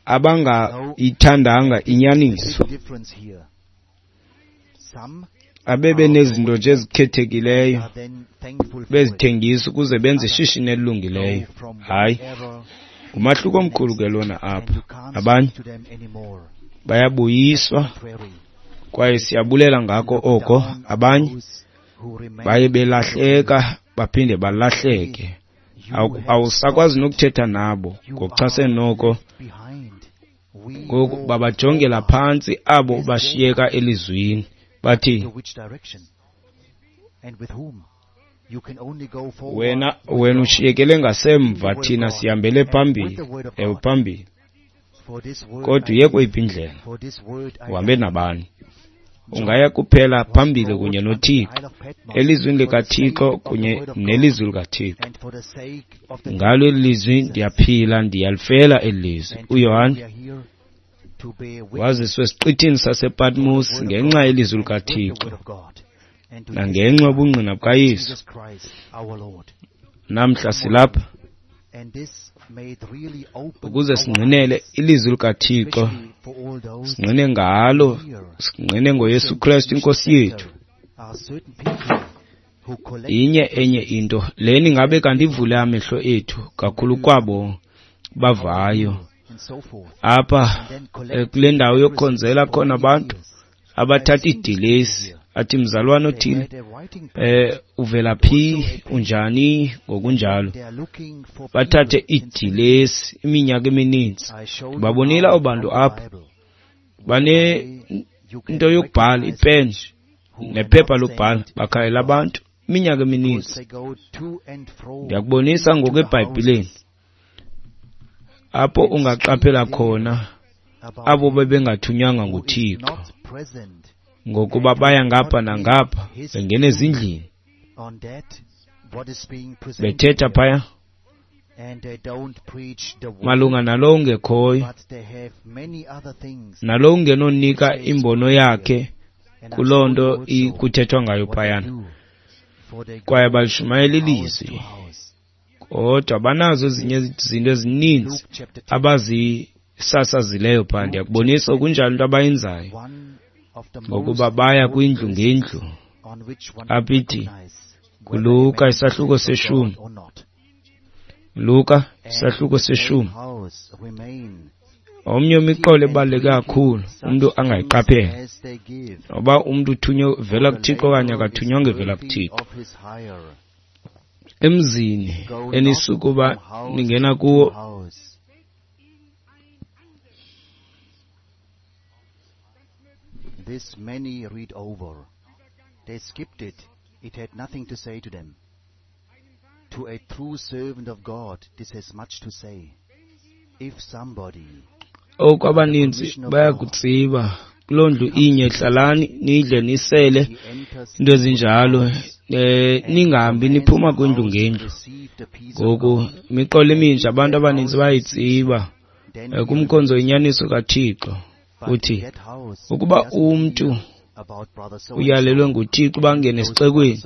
abangayithandanga inyaniso, abebenezinto nje ezikhethekileyo bezithengisa ukuze benze ishishini elilungileyo. Hayi, ngumahluko omkhulu ke lona apha. Abanye bayabuyiswa kwaye siyabulela ngako oko. Abanye baye belahleka baphinde balahleke. Awusakwazi nokuthetha nabo ngokuchasene noko. Ngoku babajongela phantsi abo bashiyeka elizwini, bathi wena wena ushiyekele ngasemva, thina sihambele phambili. Ewe, phambili. Kodwa uye kweyiphi indlela? Uhambe nabani? Ungaya kuphela phambili kunye noThixo, elizwini likaThixo kunye nelizwi likaThixo. Ngalo eli lizwi ndiyaphila, ndiyalifela eli lizwi. UYohane waziswa esiqithini sasePatmos ngenxa yelizwi likaThixo nangenxa yobungqina bukaYesu. Namhla silapha ukuze singqinele ilizwi likaThixo, singqine ngalo, singqine ngoYesu Kristu iNkosi yethu. Inye enye into leni ngabe kanti ivule amehlo ethu kakhulu kwabo bavayo apha kule ndawo yokukhonzela khona abantu abathatha idilesi athi mzalwana othile eh uvela phi, unjani, ngokunjalo. Bathathe idilesi iminyaka emininzi. Babonile abo bantu apha bane into yokubhala, ipeni nephepha lokubhala, bakhangela abantu iminyaka emininzi. Ndiyakubonisa ngoku eBhayibhileni apho ungaqaphela khona abo bebengathunywanga nguThixo, ngokuba baya ngapha nangapha bengena ezindlini bethetha phaya malunga nalowo ungekhoyo, nalowo ungenonika imbono yakhe kuloo nto kuthethwa ngayo phayana. Kwaye balishumayela ilizwi, kodwa banazo ezinye izinto ezininzi abazisasazileyo phaa. Ndiyakubonisa okunjalo into abayenzayo, ngokuba baya kwindlu ngendlu. Apha ithi kuLuka isahluko seshumi, Luka isahluko seshumi, Omnye imiqolo ebaluleke kakhulu umntu angayiqaphela, noba umntu uthunywe vela kuThixo okanye akathunywanga evela kuThixo. Emzini enisukuba ningena kuwo, this many read over. They skipped it. It had nothing to say to them. To a true servant of God, this has much to say. If somebody oku abaninzi bayakutsiba kuloo ndlu inye, hlalani nidle nisele into ezinjalo, eh ningahambi niphuma kwindlu ngendlu. Ngoku imiqolo eminje abantu abaninzi bayayitsiba kumkhonzo inyaniso kaThixo. Uthi ukuba umntu uyalelwe nguThixo uba angene esixekweni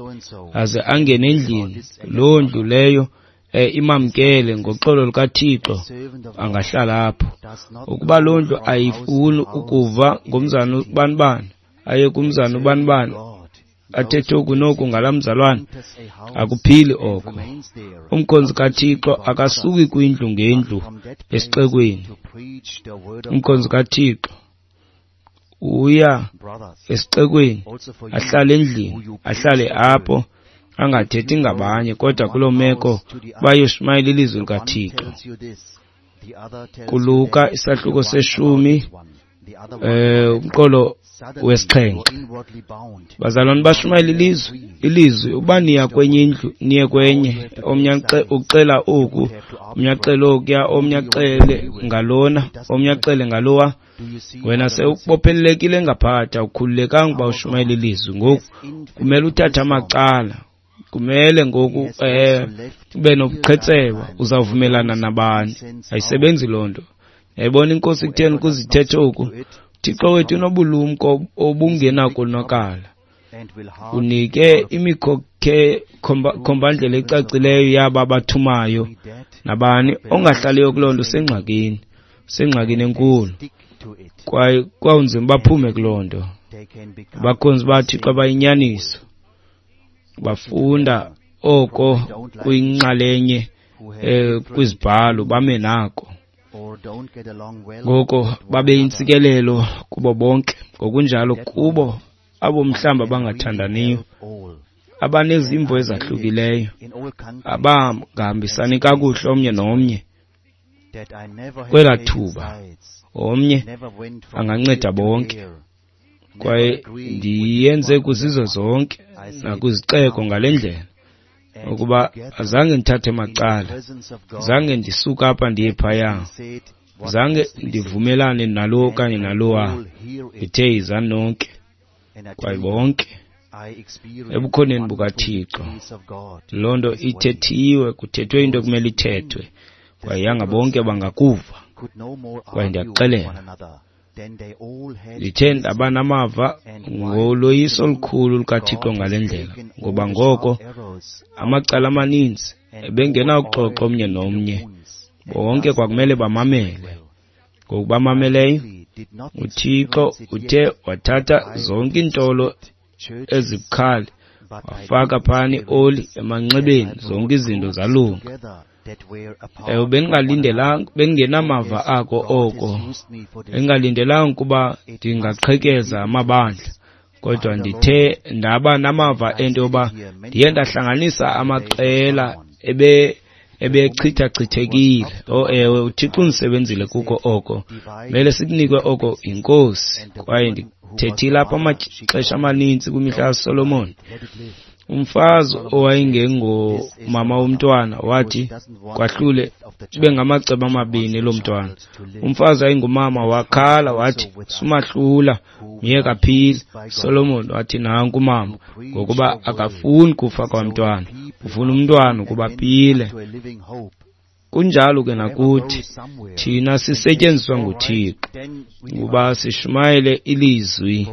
aze angene endlini, loo ndlu leyo eh, imamkele ngoxolo lukaThixo, angahlala apho. Ukuba loo ndlu ayifuni ukuva ngomzana ubanibani, aye kumzana ubanibani, athethe oku noku ngalaa mzalwane, akuphili oko. Umkhonzi kaThixo akasuki kwindlu ngendlu esixekweni. Umkhonzi kaThixo uya esixekweni, ahlale endlini, ahlale apho, angathethi ngabanye, kodwa kuloo meko bayoshumayela ilizwi likaThixo. KuLuka isahluko seshumi, eh umqolo wesixhenxe, bazalwane bashumayela ilizwi, ilizwi uba niya kwenye indlu niye kwenye, omnye ucela oku, omnye acele okuya, omnye acele ngalona, omnye acele ngalowa. Wena sewubophelelekile ngaphakathi, awukhululekanga uba ushumayela ilizwi. Ngoku kumele uthathe amacala, kumele ngoku eh ube nobuqhetseba, uzawuvumelana nabani. Ayisebenzi loo nto. Yayibona inkosi kutheni ukuze ithethe oku? Thixo wethu unobulumko obungenakonakala. Unike imikhombandlela ecacileyo yaba bathumayo nabani ongahlaliyo kuloo nto usengxakini, usengxakini enkulu. Kwaye kwawunzima baphume kuloo nto. Abakhonzi baThixo abayinyaniso bafunda oko kuyinxalenye eh kwizibhalo, bame nako. Ngoko babe yintsikelelo kubo bonke, ngokunjalo kubo abo mhlawumbi abangathandaniyo, abanezimvo ezahlukileyo, abangahambisani kakuhle omnye nomnye. Kwelaa thuba omnye anganceda bonke. Kwaye ndiyenze kwizizwe zonke nakwizixeko ngale ndlela, ukuba azange ndithathe macala, zange ndisuka apha ndiye phaya, zange ndivumelane nalo okanye nalowa. Ndithe yizani nonke, kwaye bonke ebukhoneni bukaThixo. Loo nto ithethiwe, kuthethwe into ekumele ithethwe, kwaye yanga bonke bangakuva. Kwaye ndiyakuxelela, ndithe ndaba namava ngoloyiso olukhulu lukaThixo ngale ndlela, ngoba ngoko amacala amaninzi ebengenakuxoxa omnye nomnye, bonke kwakumele bamamele. Ngokubamameleyo, uThixo uthe wathatha zonke iintolo ezibukhali, wafaka phana ioli emanxebeni, zonke izinto zalunga. Ewe, bendingalindelanga, bendingenamava ako oko, bendingalindelanga ukuba ndingaqhekeza amabandla, kodwa ndithe ndaba namava ento yoba ndiye ndahlanganisa amaqela ebe ebechithachithekile. Oh ewe, uThixo undisebenzile kuko oko, mele sikunikwe oko yiNkosi. Kwaye ndithethile apha amaxesha amanintsi kwimihla kaSolomon. Umfazi owayengengomama womntwana wathi kwahlule kube ngamacebo amabini lo mntwana. Umfazi ayingumama wakhala wathi sumahlula, myeke aphile. Solomon wathi nanku umama, ngokuba akafuni kufa kwamntwana, ufuna umntwana ukuba aphile. Kunjalo ke nakuthi, thina sisetyenziswa nguThixo ukuba sishumayele ilizwi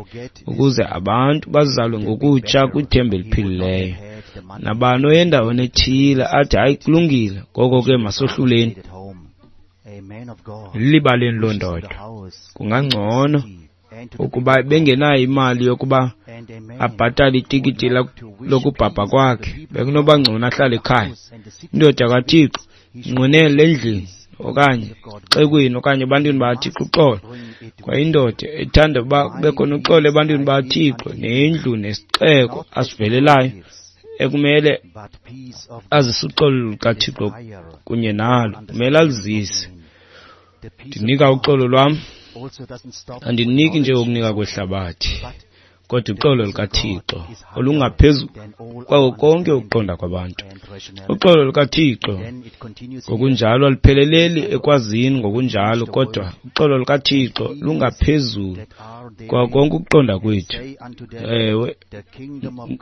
ukuze abantu bazalwe ngokutsha kwithemba eliphilileyo. Nabani oyendaweni ethile athi hayi kulungile, ngoko ke masohluleni, libaleni loo ndoda. Kungangcono ukuba bengenayo imali yokuba abhatale itikiti lokubhabha kwakhe, bekunoba ngcono ahlale ekhaya. Indoda kaThixo inqwenele endlini okanye xekweni okanye ebantwini bakaThixo uxolo. Kwaye indoda ethanda uba kube khona uxolo ebantwini bakaThixo nendlu nesixeko asivelelayo ekumele azise uxolo lukaThixo kunye nalo, kumele alizise. Ndinika uxolo lwam, andiniki nje ukunika kwehlabathi, kodwa uxolo lukaThixo olungaphezu kwako konke ukuqonda kwabantu. Uxolo lukaThixo ngokunjalo alupheleleli ekwazini ngokunjalo, kodwa uxolo lukaThixo lungaphezulu kwako konke ukuqonda kwethu, ewe,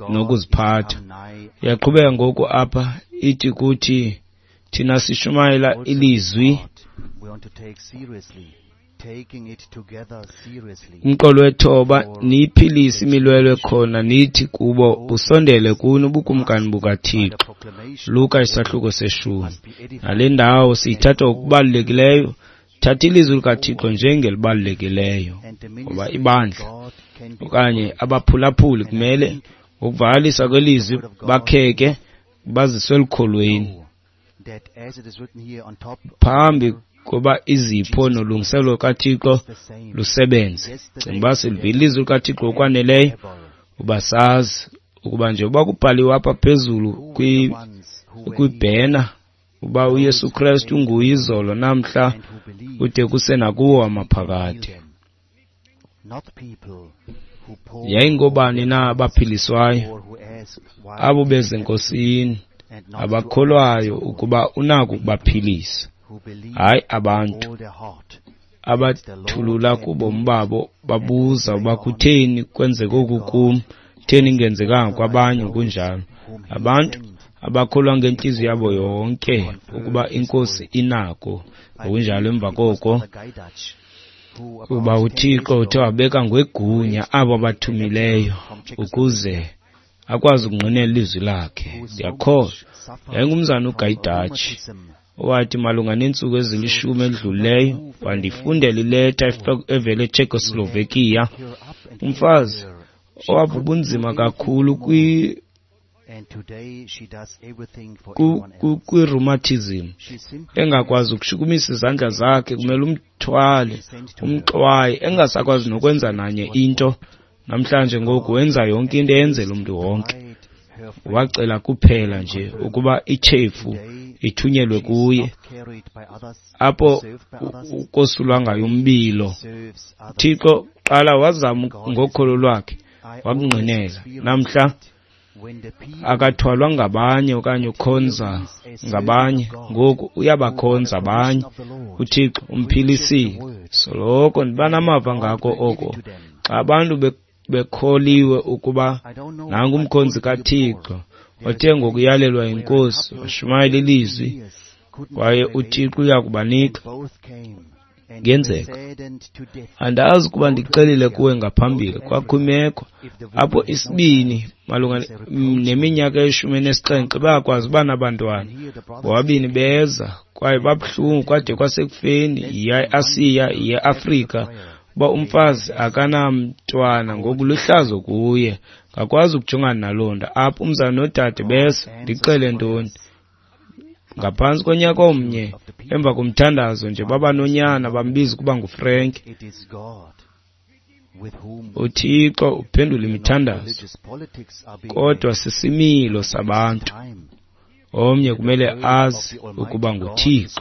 nokuziphatha. Iyaqhubeka ngoku apha ithi kuthi thina sishumayela ilizwi umqolo wethoba, niyiphilise imilwelwe khona, nithi kubo busondele kuni ubukumkani bukaThixo. Luka isahluko seshumi. Nale ndawo siyithatha ngokubalulekileyo, thatha ilizwi likaThixo njengelibalulekileyo, ngoba ibandla okanye abaphulaphuli kumele ngokuvakalisa kwelizwi bakheke baziswe elukholweni phambi kuba izipho nolungiselelo lukaThixo lusebenze. Cinga uba silivile ilizwi likaThixo ngokwaneleyo uba sazi ukuba nje uba kubhaliwe apha phezulu kwibhena uba uYesu Kristu unguye izolo namhla kude kuse nakuwo amaphakade. Yayingobani na abaphiliswayo? Abo bezenkosini abakholwayo ukuba unako ukubaphilisa, hayi abantu abathulula kubomi babo babuza uba kutheni kwenzeka oku kum, kutheni ingenzekanga kwabanye kunjalo. Abantu abakholwa ngentliziyo yabo yonke ukuba iNkosi inako ngokunjalo. Emva koko kuba uThixo uthe wabeka ngwegunya abo abathumileyo ukuze akwazi ukungqinela ilizwi lakhe. Ndiyakholwa yayingumzana uGayidatshi owathi malunga neentsuku ezilishumi edlulileyo wandifundela ileta evela eCzechoslovakia, umfazi owava ubunzima kakhulu kwi-rheumatism, engakwazi ukushukumisa izandla zakhe, kumele umthwale umxwaye, engasakwazi nokwenza nanye into. Namhlanje ngoku wenza yonke into eyenzela umntu wonke. Wacela kuphela nje ukuba ichefu ithunyelwe kuye apho ukosulwa ngayo umbilo. Thixo qala wazama ngokholo lwakhe wakungqinela. Namhla akathwalwa ngabanye okanye ukhonza ngabanye, ngoku uyabakhonza abanye. uThixo umphilisile. Soloko ndiba namava ngako oko xa abantu bekholiwe ukuba nangu umkhonzi kaThixo othe ngokuyalelwa yiNkosi washumayela ilizwi, kwaye uThixo uya kubanika. Ngenzeka andazi ukuba ndixelile kuwe ngaphambili, kwakho imeko apho isibini malunga neminyaka eyishumi enesixhenxe bayakwazi uba nabantwana. Bobabini beza kwaye babuhlungu kwade kwasekufeni, yiya eAsiya, yiya eAfrika, uba umfazi akanamntwana ngoku luhlazo kuye, ngakwazi ukujongana naloo nto. Apho umzana nodade besa, ndixele ntoni? Ngaphantsi konyaka omnye emva komthandazo nje baba nonyana bambiza ukuba nguFrank. UThixo uphendula imithandazo, kodwa sisimilo sabantu. Omnye kumele azi ukuba nguThixo,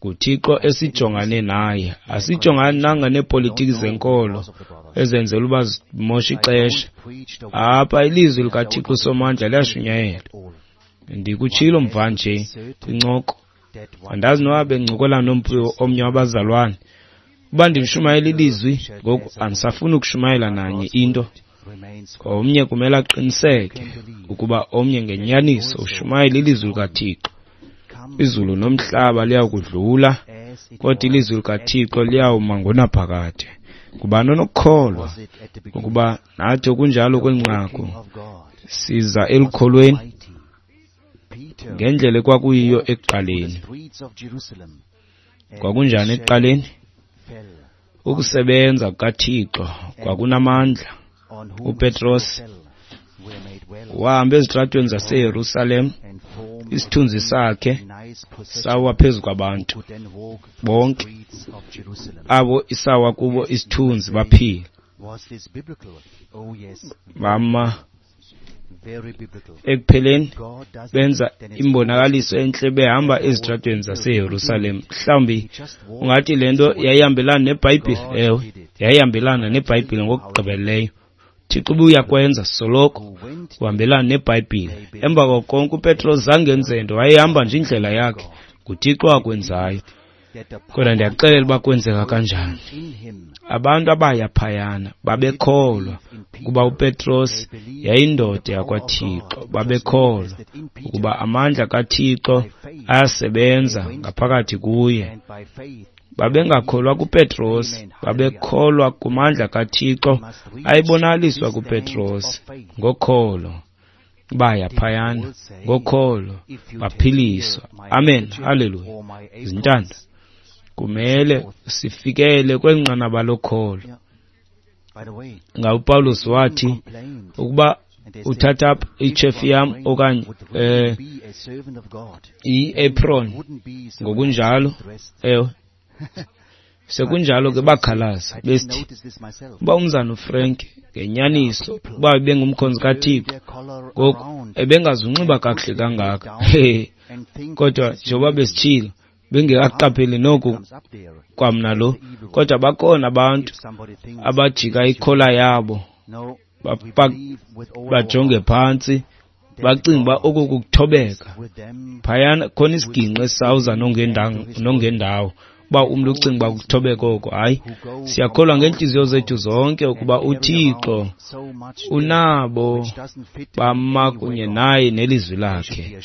nguThixo esijongane naye. Asijongani nanga neepolitiki zenkolo ezenzela uba zimoshe ixesha. Apha ilizwi likaThixo uSomandla liyashunyayelwa. Ndikutshilo mva nje kwincoko, andazi noba bencokola nomntu omnye wabazalwane, uba ndimshumayela ilizwi ngoku andisafuni ukushumayela nanye into. Omnye kumele aqiniseke ukuba omnye ngenyaniso ushumayela ilizwi likaThixo. Izulu nomhlaba liyakudlula, kodwa ilizwi likaThixo liyawuma ngonaphakade. Ngubani onokukholwa ukuba nathi okunjalo kweli nqaku siza elukholweni ngendlela ekwakuyiyo ekuqaleni? Kwakunjani ekuqaleni? Ukusebenza kukaThixo kwakunamandla. uPetros wahamba ezitratweni zaseYerusalem, isithunzi sakhe Sawa phezu kwabantu bonke abo isawa kubo isithunzi baphila. Bama ekupheleni benza imbonakaliso entle behamba ezitratweni zaseYerusalem. Mhlawumbi ungathi le nto yayihambelana neBhayibhile. Ewe, yayihambelana neBhayibhile ngokugqibeleleyo. Thixo ubuyakwenza soloko uhambelana neBhayibhile. Emva kwako konke uPetros zange enze nto, wayehamba nje indlela yakhe. NguThixo akwenzayo. Kodwa ndiyakuxelela uba kwenzeka kanjani. Abantu abaya phayana babekholwa ukuba uPetros yayindoda yakwaThixo. Babekholwa ukuba amandla kaThixo ayasebenza ngaphakathi kuye. Babengakholwa kuPetros, babekholwa kumandla kaThixo ayebonakaliswa kuPetros. Ngokholo baya phayana, ngokholo baphiliswa. Amen, haleluya. Izintanda, kumele sifikele kweli nqanaba lokholo. Nga uPawulos wathi ukuba uthatha apha ichefu yam okanye eh i-apron ngokunjalo, ewe sekunjalo ke bakhalaza besithi uba umzana uFrank ngenyaniso uba ebengumkhonzi kaThixo ngoku ebengazunxiba kakuhle kangaka. Kodwa njengoba besitshilo bengekaqapheli noku kwamna lo, kodwa bakhona abantu abajika ikhola yabo bajonge phantsi bacinga uba oku kukuthobeka. Phayana khona isiginqi esisawuza nongendawo uba umntu ucinga uba kukuthobeka oko. Hayi, siyakholwa ngeentliziyo zethu zonke ukuba uThixo unabo bama kunye naye nelizwi lakhe.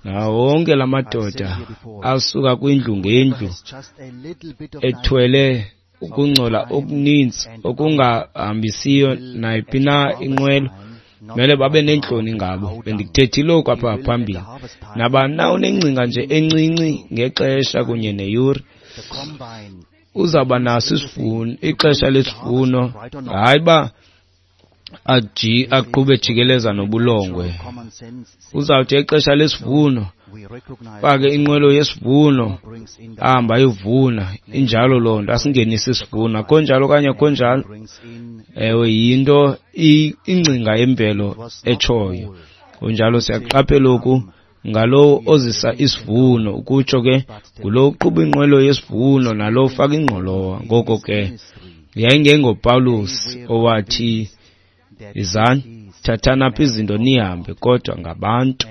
Nawo wonke la madoda asuka kwindlu ngendlu ethwele ukungcola okuninzi okungahambisiyo nayiphi na inqwelo, mele babe neentloni ngabo. Bendikuthethile oku apha phambili. Nabani na unengcinga nje encinci ngexesha kunye neyure uzawuba naso isivuno, ixesha lesivuno. Hayi uba aji aqhube jikeleza nobulongwe. Uzawuthi ixesha lesivuno fake inqwelo yesivuno ahamba ayovuna. Injalo loo nto, asingenise isivuno. Akho njalo okanye akho njalo? Ewe, yinto ingcinga yemvelo etshoyo. Kunjalo siyaqaphela oku ngalowo ozisa isivuno, ukutsho ke ngulo uqhuba inqwelo yesivuno nalo ufaka ingqolowa. Ngoko ke yayingengoPawulos owathi izani thathani apha izinto nihambe, kodwa ngabantu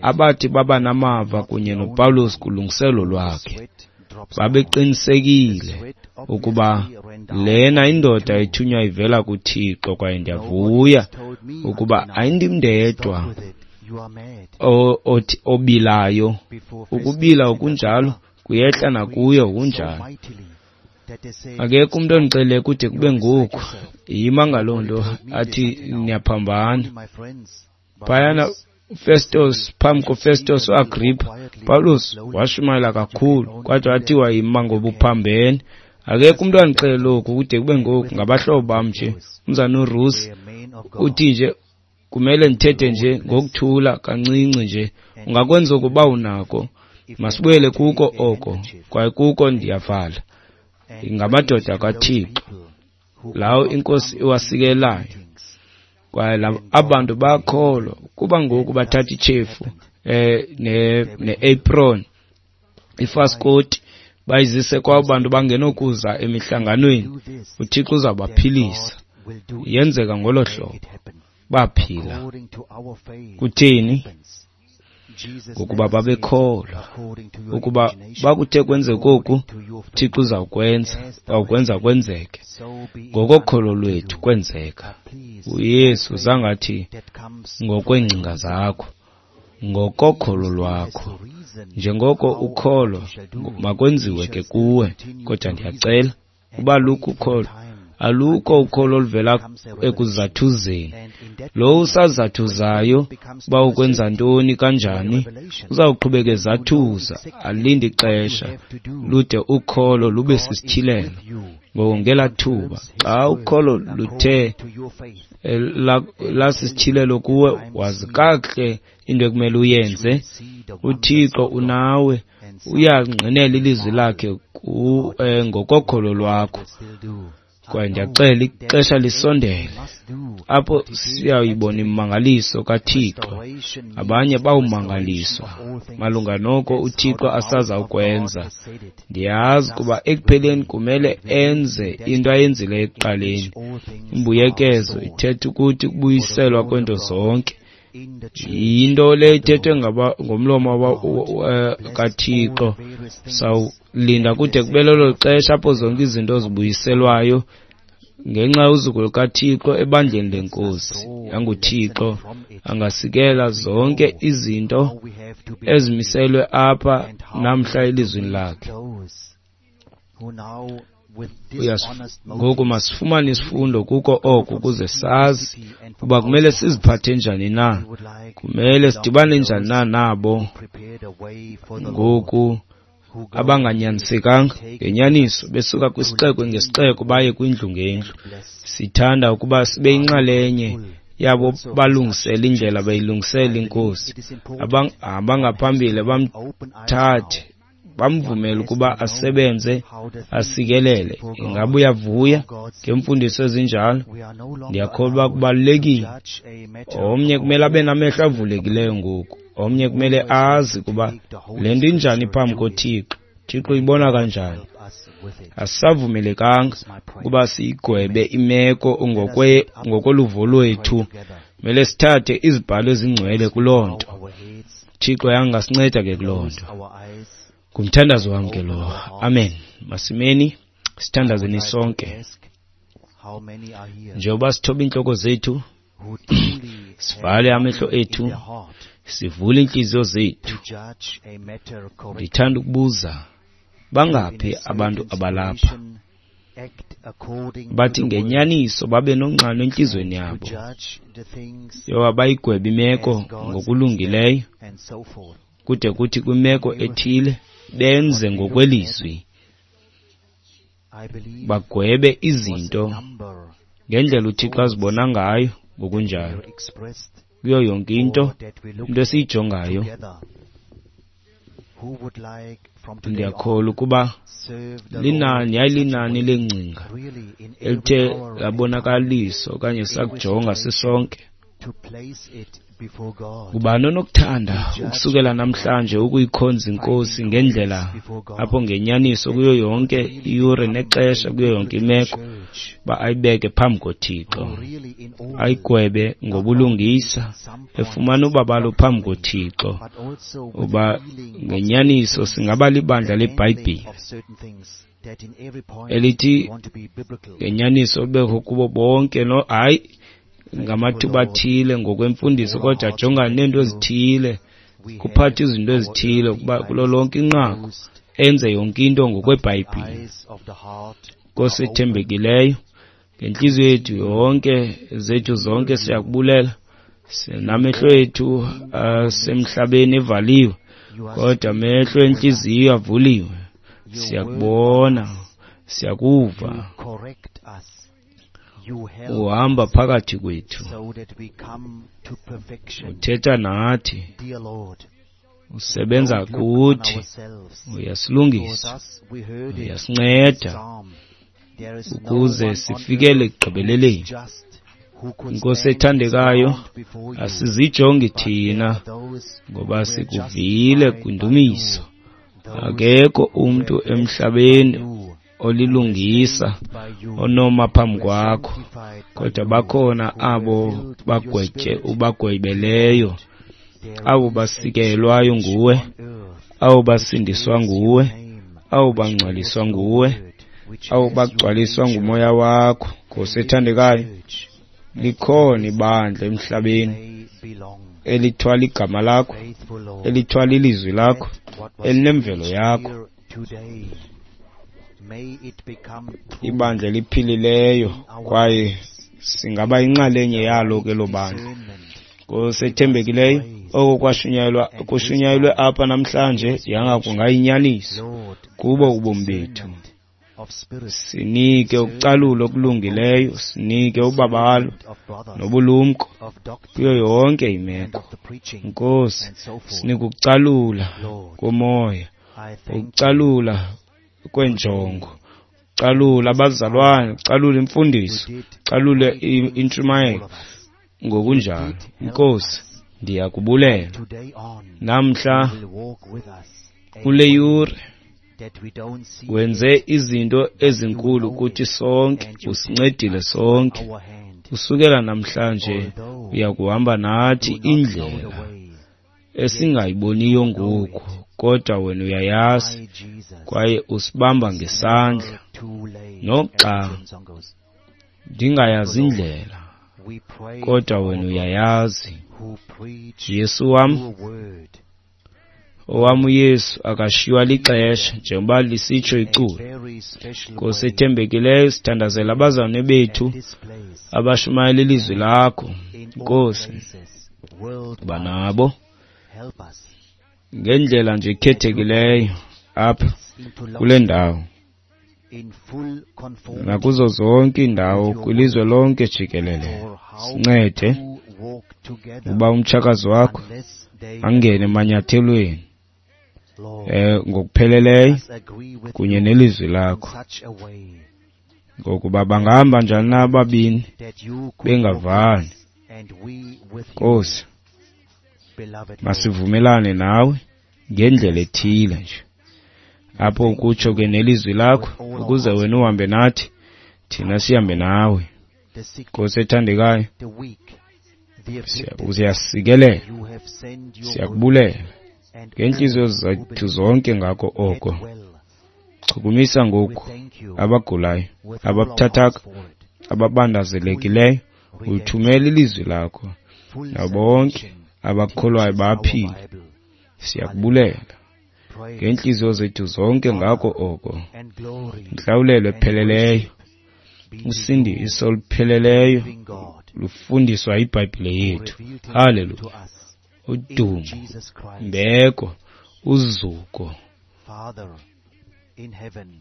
abathi baba namava kunye noPawulos kulungiselo lwakhe. Babeqinisekile ukuba lena indoda ethunywa ivela kuThixo, kwaye ndiyavuya ukuba ayindim ndedwa obilayo. Ukubila okunjalo kuyehla nakuye kunjalo. Akekho umntu ondixelele kude kube ngoku. Yima ngaloo nto athi niyaphambana. Phayana Festus, phambi koFestus uAgrippa, Paulus washumayela kakhulu kodwa wathiwa yima ngoba uphambene. Akekho umntu andixelele oku kude kube ngoku, ngabahlobo bam nje. Umzana uRusi uthi nje kumele ndithethe nje ngokuthula kancinci nje. Ungakwenza ukuba unako. Masibuyele kuko oko, kwaye kuko ndiyavala. Ngamadoda kaThixo lawo iNkosi iwasikelayo, kwaye abantu bakholwa kuba ngoku bathatha ichefu eh ne ne-apron ifaskoti bayizise kwabo bantu bangenokuza emihlanganweni. uThixo uzabaphilisa. Yenzeka ngolo hlobo, baphila. Kutheni? Ngokuba babekholwa ukuba bakuthe kwenzeka oku, uThixo uzawukwenza, uzawukwenza kwenzeke. Ngokokholo lwethu kwenzeka. uYesu zangathi ngokweengcinga zakho, ngokokholo lwakho. Njengoko ukholo makwenziwe ke kuwe, kodwa ndiyacela uba lukho ukholo Alukho ukholo oluvela ekuzathuzeni. Lo usazathuzayo uba ukwenza ntoni kanjani, uzawuqhubeka ezathuza, alinde ixesha lude ukholo lube sisityhilelo. Ngoko ngelaa thuba xa ukholo luthe lasisityhilelo kuwe, wazi kakuhle into ekumele uyenze. UThixo unawe, uyangqinela ilizwi lakhe ngokokholo lwakho. Kwaye ndiyaxela ixesha lisondele apho siyayibona imimangaliso kaThixo. Abanye bawumangaliswa malunga noko uThixo asazawukwenza. Ndiyazi kuba ekupheleni kumele enze into ayenzileyo ekuqaleni. Imbuyekezo ithetha ukuthi kubuyiselwa kwento zonke. Yinto le ithethwe ngomlomo kaThixo. Sawulinda kude kube lelo xesha apho zonke izinto zibuyiselwayo ngenxa yozuko lukaThixo ebandleni leNkosi. YanguThixo angasikela zonke izinto ezimiselwe apha namhla elizwini lakhe. Ngoku masifumane isifundo kuko oko ukuze sazi uba kumele siziphathe njani na, kumele sidibane njani na nabo ngoku abanganyanisekanga ngenyaniso besuka kwisixeko ngesixeko baye kwindlu ngendlu. Sithanda ukuba sibe yinxalenye yabo balungisela indlela bayilungisela iNkosi. Abangaphambili bamthathe bamvumele ukuba asebenze asikelele. Ingaba uyavuya ngemfundiso ezinjalo? Ndiyakholwa kubalulekile. Omnye kumele abe namehlo avulekileyo ngoku. Omnye kumele azi kuba le nto injani phambi koThixo. Thixo uyibona kanjani. Asisavumelekanga ukuba siyigwebe imeko ngokwe ngokoluvo lwethu. Kumele sithathe izibhalo ezingcwele kuloo nto. Thixo yangasinceda ke kuloo nto. Ngumthandazo wam ke lo. Amen. Masimeni sithandazeni sonke. Njengoba sithoba iintloko zethu, sivale amehlo ethu, sivule iintliziyo zethu. Ndithanda ukubuza, bangaphi abantu abalapha bathi ngenyaniso babe nonxano entliziyweni yabo yoba bayigwebe imeko ngokulungileyo, kude kuthi kwimeko ethile benze ngokwelizwi, bagwebe izinto ngendlela uThixo azibona ngayo ngokunjalo. Kuyo yonke into, into esiyijongayo, ndiyakholwa ukuba linani yayilinani lengcinga elithe labonakaliswa okanye sakujonga sisonke. Ngubani onokuthanda ukusukela namhlanje ukuyikhonza iNkosi ngendlela apho ngenyaniso kuyo yonke iyure nexesha, kuyo yonke imeko, uba ayibeke phambi koThixo, ayigwebe ngobulungisa, efumana ubabalo phambi koThixo, uba ngenyaniso singaba libandla leBhayibhile elithi ngenyaniso ubekho kubo bonke, no hayi ngamathuba athile ngokwemfundiso, kodwa ajongane neento ezithile, kuphathe izinto ezithile ukuba kulo lonke inqaku enze yonke into ngokweBhayibhile. Nkosi ethembekileyo, ngentliziyo yethu yonke zethu zonke siyakubulela. Sinamehlo ethu asemhlabeni evaliwe, kodwa amehlo entliziyo avuliwe. Siyakubona, siyakuva uhamba phakathi kwethu, uthetha nathi, usebenza kuthi, uyasilungisa, uyasinceda ukuze sifikele ekugqibeleleni. Nkosi ethandekayo, asizijongi thina ngoba sikuvile kwindumiso. Akekho umntu emhlabeni olilungisa onoma phambi kwakho, kodwa bakhona abo bagwetye ubagwebeleyo, abo basikelwayo nguwe, abo basindiswa nguwe, abo bangcwaliswa nguwe, abo bagcwaliswa ngumoya wakho. Nkosi ethandekayo, likhona ibandla emhlabeni elithwala igama lakho, elithwala ilizwi lakho, elinemvelo yakho. Ibandla eliphilileyo, kwaye singaba yinxalenye yalo ke lo bandla. Nkosi ethembekileyo, oko kwashunyayelwa kushunyayelwe apha namhlanje yanga kungayinyaniso kubo ubomi bethu. Sinike ukucalula okulungileyo, sinike ubabalo nobulumko kuyo yonke imeko. Nkosi, sinike ukucalula komoya, ukucalula kwenjongo, calula abazalwane, calula imfundiso, calule intshumayelo ngokunjalo. Nkosi, ndiyakubulela namhla kule yure wenze izinto ezinkulu kuthi sonke, usincedile sonke. Usukela namhlanje uyakuhamba nathi indlela esingayiboniyo ngoku, kodwa wena uyayazi kwaye usibamba ngesandla. Noxa ndingayazi indlela, kodwa wena uyayazi. Yesu wam, owam uYesu akashiywa lixesha, njengoba lisitsho iculo. Nkosi ethembekileyo, sithandazela abazalwane bethu abashumayela ilizwi lakho. Nkosi, banabo ngendlela nje ekhethekileyo apha kule ndawo nakuzo zonke iindawo kwilizwe lonke jikelele. Sincede uba umtshakazi wakho angene emanyathelweni eh ngokupheleleyo kunye nelizwi lakho, ngokuba bangahamba njani na ababini bengavani? Nkosi, masivumelane nawe ngendlela ethile nje apho ukutsho ke nelizwi lakho, ukuze wena uhambe nathi, thina sihambe nawe. Nkosi ethandekayo, uyasikelela, siyakubulela ngeentliziyo zethu zonke ngako oko. Chukumisa ngoku abagulayo, ababuthathaka, ababandazelekileyo, ulithumele ilizwi lakho, nabo bonke abakholwayo baphile. Siyakubulela ngeentliziyo zethu zonke ngako oko. Intlawulelo epheleleyo, usindiso olupheleleyo lufundiswa yiBhayibhile yethu. Haleluya! Udumo, mbeko, uzuko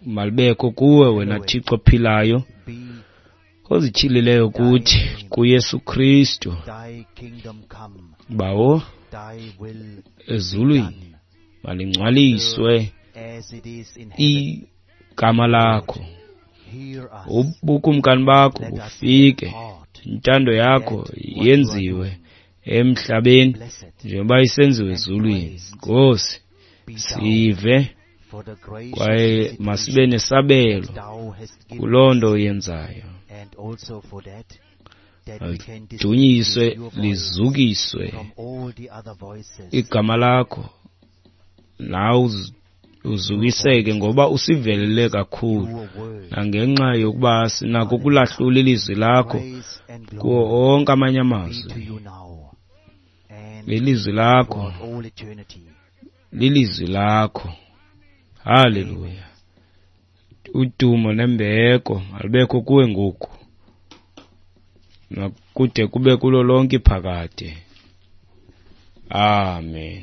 malibekho kuwe wena Thixo ophilayo, ozityhilileyo kuthi kuYesu Kristu. Bawo ezulwini, malingcwaliswe igama lakho, ubukumkani bakho bufike, intando yakho yenziwe emhlabeni njengoba isenziwe ezulwini. Nkosi, sive kwaye masibe nesabelo kuloo nto uyenzayo. Dunyiswe, lizukiswe igama lakho, nawe uzukiseke ngoba usivelele kakhulu, nangenxa yokuba sinako ukulahlula ilizwi lakho kuwo onke amanye amazwi. Ilizwi lakho lilizwi lakho. Haleluya! Udumo nembeko alubekho kuwe ngoku nakude kube kulo lonke iphakade. Amen.